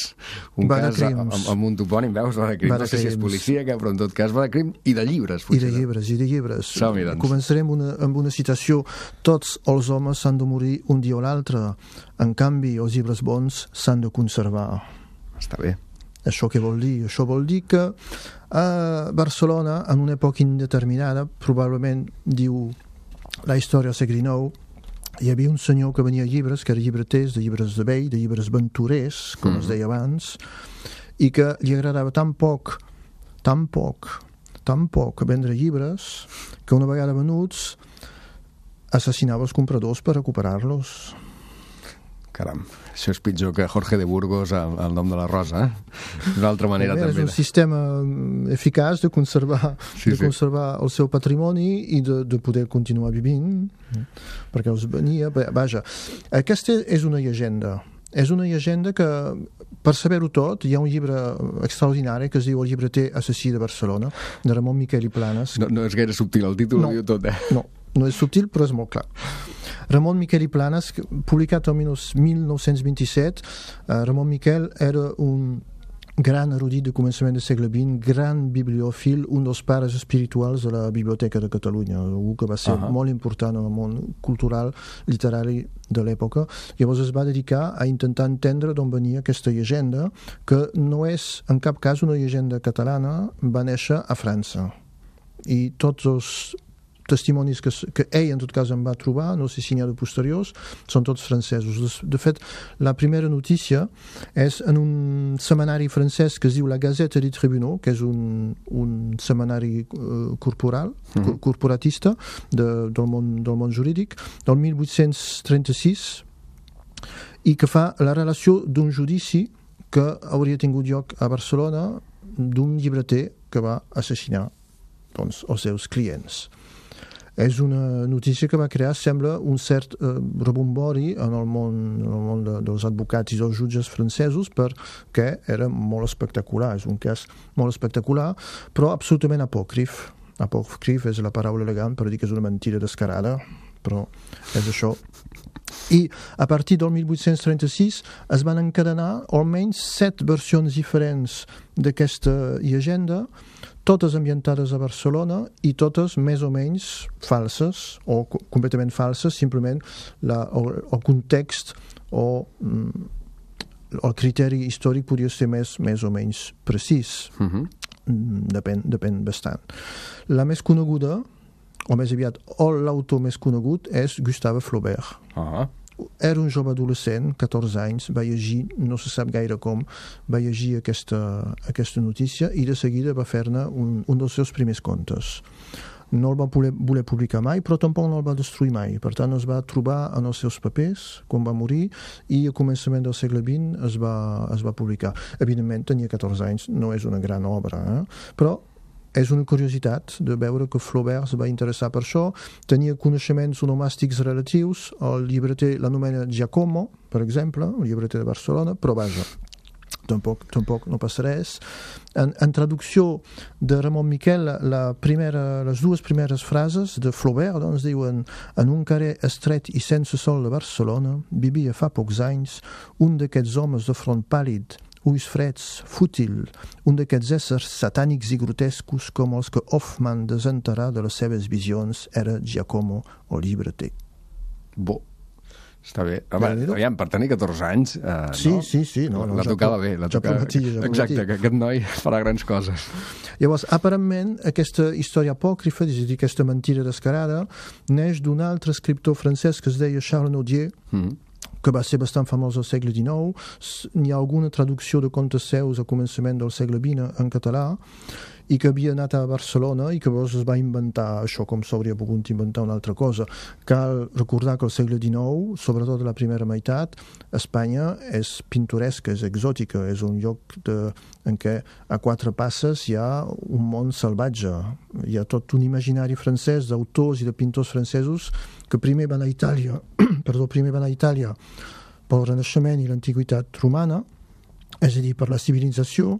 Un cas amb un topònim, veus? Va de crim. No sé si és policia, però en tot cas va de crim i de llibres. I de llibres. Som-hi, doncs. Començarem amb una citació. Tots els homes s'han de morir un dia o l'altre. En canvi, els llibres bons s'han de conservar. Està bé. Això què vol dir? Això vol dir que a Barcelona, en una època indeterminada, probablement, diu la història al segle XIX, hi havia un senyor que venia llibres, que era llibreters, de llibres de vell, de llibres aventurers, com es deia abans, i que li agradava tan poc vendre llibres, que una vegada venuts assassinava els compradors per recuperar-los. Caram, això és pitjor que Jorge de Burgos al nom de la Rosa, D'una altra manera també. És un sistema eficaç de conservar el seu patrimoni i de poder continuar vivint, perquè els venia... Vaja, aquesta és una llegenda. És una llegenda que, per saber-ho tot, hi ha un llibre extraordinari que es diu El llibreter assassí de Barcelona, de Ramon Miquel i Planes. No és gaire subtil, el títol ho diu tot, No és subtil, però és molt clar. Ramon Miquel i Planes, publicat el 1927. Ramon Miquel era un gran erudit de començament del segle XX, gran bibliòfil, un dels pares espirituals de la Biblioteca de Catalunya, algú que va ser molt important en el món cultural, literari de l'època. Llavors es va dedicar a intentar entendre d'on venia aquesta llegenda, que no és en cap cas una llegenda catalana, va néixer a França. I tots els testimonis que ell en tot cas en va trobar, no sé si n'hi ha de posteriors, són tots francesos. De fet, la primera notícia és en un setmanari francès que es diu La Gazette des Tribunaux, que és un setmanari corporatista del món jurídic, del 1836, i que fa la relació d'un judici que hauria tingut lloc a Barcelona d'un llibreter que va assassinar els seus clients. És una notícia que va crear, sembla, un cert rebombori en el món dels advocats i dels jutges francesos, perquè era molt espectacular. És un cas molt espectacular, però absolutament apòcrif. Apòcrif és la paraula elegant per dir que és una mentida descarada, però és això. I a partir del 1836 es van encadenar almenys 7 versions diferents d'aquesta llegenda, totes ambientades a Barcelona i totes més o menys falses o completament falses, simplement el context o el criteri històric podria ser més o menys precís. Depèn bastant. La més coneguda, o més aviat l'autor més conegut, és Gustave Flaubert. Era un jove adolescent, 14 anys, va llegir, no se sap gaire com, va llegir aquesta notícia i de seguida va fer-ne un dels seus primers contes. No el va voler publicar mai, però tampoc no el va destruir mai. Per tant, es va trobar en els seus papers quan va morir i a començament del segle XX es va publicar. Evidentment, tenia 14 anys, no és una gran obra, però és una curiositat de veure que Flaubert es va interessar per això. Tenia coneixements onomàstics relatius. El llibreter l'anomena Giacomo, per exemple, el llibreter de Barcelona, però vaja, tampoc no passa res. En traducció de Ramon Miquel, les dues primeres frases de Flaubert doncs diuen: en un carrer estret i sense sol de Barcelona vivia fa pocs anys un d'aquests homes de front pàl·lid, ulls freds, fútil, un d'aquests éssers satànics i grotescos com els que Hoffmann desenterrà de les seves visions era Giacomo, el llibreter. Bo. Està bé. Aviam, per tenir 14 anys... Sí. La tocava bé. Ja prometia. Exacte, que aquest noi farà grans coses. Llavors, aparentment, aquesta història apòcrifa, és a dir, aquesta mentira descarada, neix d'un altre escriptor francès que es deia Charles Nodier, que va ser bastant famós al segle XIX. N'hi ha alguna traducció de contes seus a començament del segle XX en català, i que havia anat a Barcelona i que llavors es va inventar això com s'hauria pogut inventar una altra cosa. Cal recordar que al segle XIX, sobretot a la primera meitat, Espanya és pintoresca, és exòtica, és un lloc en què a 4 passes hi ha un món salvatge. Hi ha tot un imaginari francès d'autors i de pintors francesos que primer van a Itàlia pel Renaixement i l'Antiguitat romana, és a dir, per la civilització,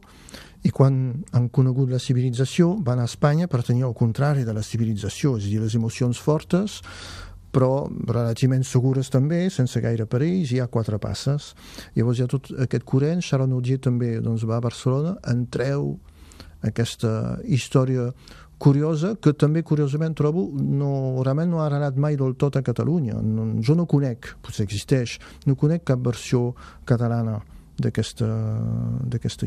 i quan han conegut la civilització van a Espanya per tenir el contrari de la civilització, és a dir, les emocions fortes, però relativament segures també, sense gaire perills, hi ha 4 passes. Llavors hi ha tot aquest corrent. Charles Nodier també va a Barcelona, en treu aquesta història curiosa, que també curiosament trobo realment no ha agradat mai del tot a Catalunya. Jo no conec, potser existeix, no conec cap versió catalana d'aquesta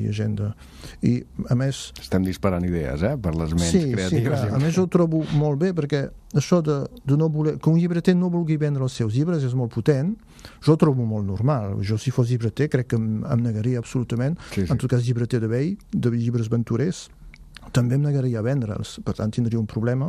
llegenda. I a més... Estem disparant idees, per les ments creatives. Sí, clar. A més ho trobo molt bé, perquè això de no voler... Que un llibreter no vulgui vendre els seus llibres és molt potent. Jo ho trobo molt normal. Jo, si fos llibreter, crec que em negaria absolutament. Sí. En tot cas, llibreter de vell, de llibres aventurers, també em negaria a vendre'ls. Per tant, tindria un problema.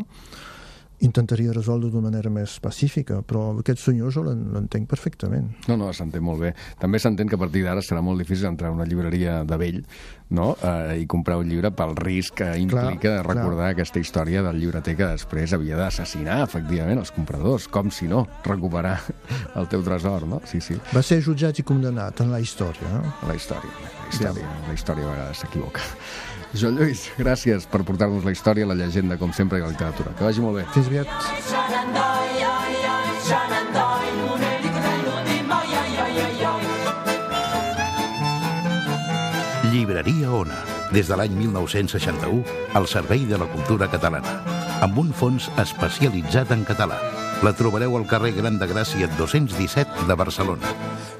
Intentaria resoldre d'una manera més pacífica, però aquest senyor jo l'entenc perfectament. No, s'entén molt bé. També s'entén que a partir d'ara serà molt difícil entrar a una llibreria de vell, no? I comprar un llibre pel risc que implica recordar aquesta història del llibreter que després havia d'assassinar, efectivament, els compradors. Com si no, recuperar el teu tresor, no? Sí. Va ser jutjat i condemnat en la història. La història a vegades s'equivoca. Joan Lluís, gràcies per portar-nos la història, la llegenda, com sempre, i la literatura. Que vagi molt bé. Fins aviat. Llibreria Ona, des de l'any 1961, al servei de la cultura catalana, amb un fons especialitzat en català. La trobareu al carrer Gran de Gràcia 217 de Barcelona.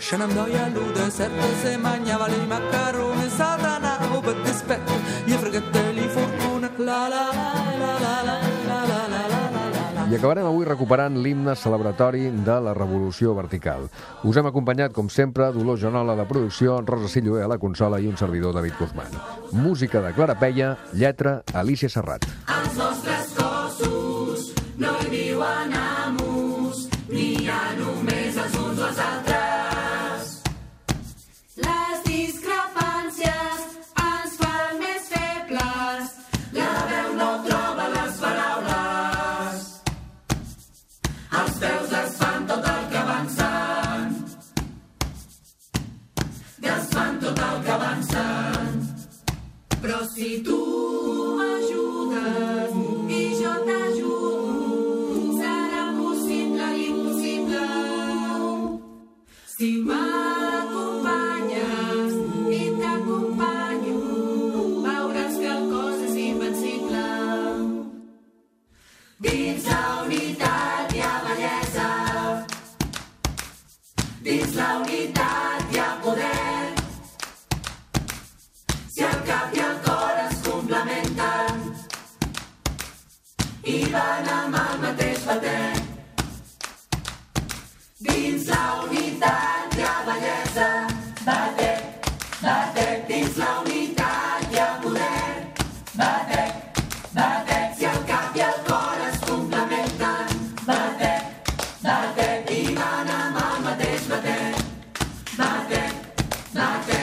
Shenandoah luda certo se mangiava i macaroni satana o per dispetto gli fregateli fortuna la la la la la la. I acabarem avui recuperant l'himne celebratori de la Revolució Vertical. Us hem acompanyat, com sempre, Dolors Joanola a la producció, Rosa Silloé a la consola i un servidor, David Guzmán. Música de Clara Peia, lletra Alicia Serrat. Els nostres cossos no hi viuen amos, ni hi ha només els uns o els altres. Les discrepàncies ens fan més febles, la veu no troba les paraules. Els peus es fan tot el que avancen, desfan tot el que avancen. Però si tu m'ajudes i jo t'ajudo, serà possible l'impossible. Si m'acompanyes i t'acompanyo, veuràs que el cos és invencible. Dins la unitat hi ha bellesa, dins la unitat hi ha poder. Si el cap i el cor es complementen i van amb el mateix bater, dins la unitat hi ha bellesa, batec, batec, dins la unitat hi ha poder, batec, batec, si el cap i el cor es complementen, batec, batec, i van amb el mateix bater, batec, batec.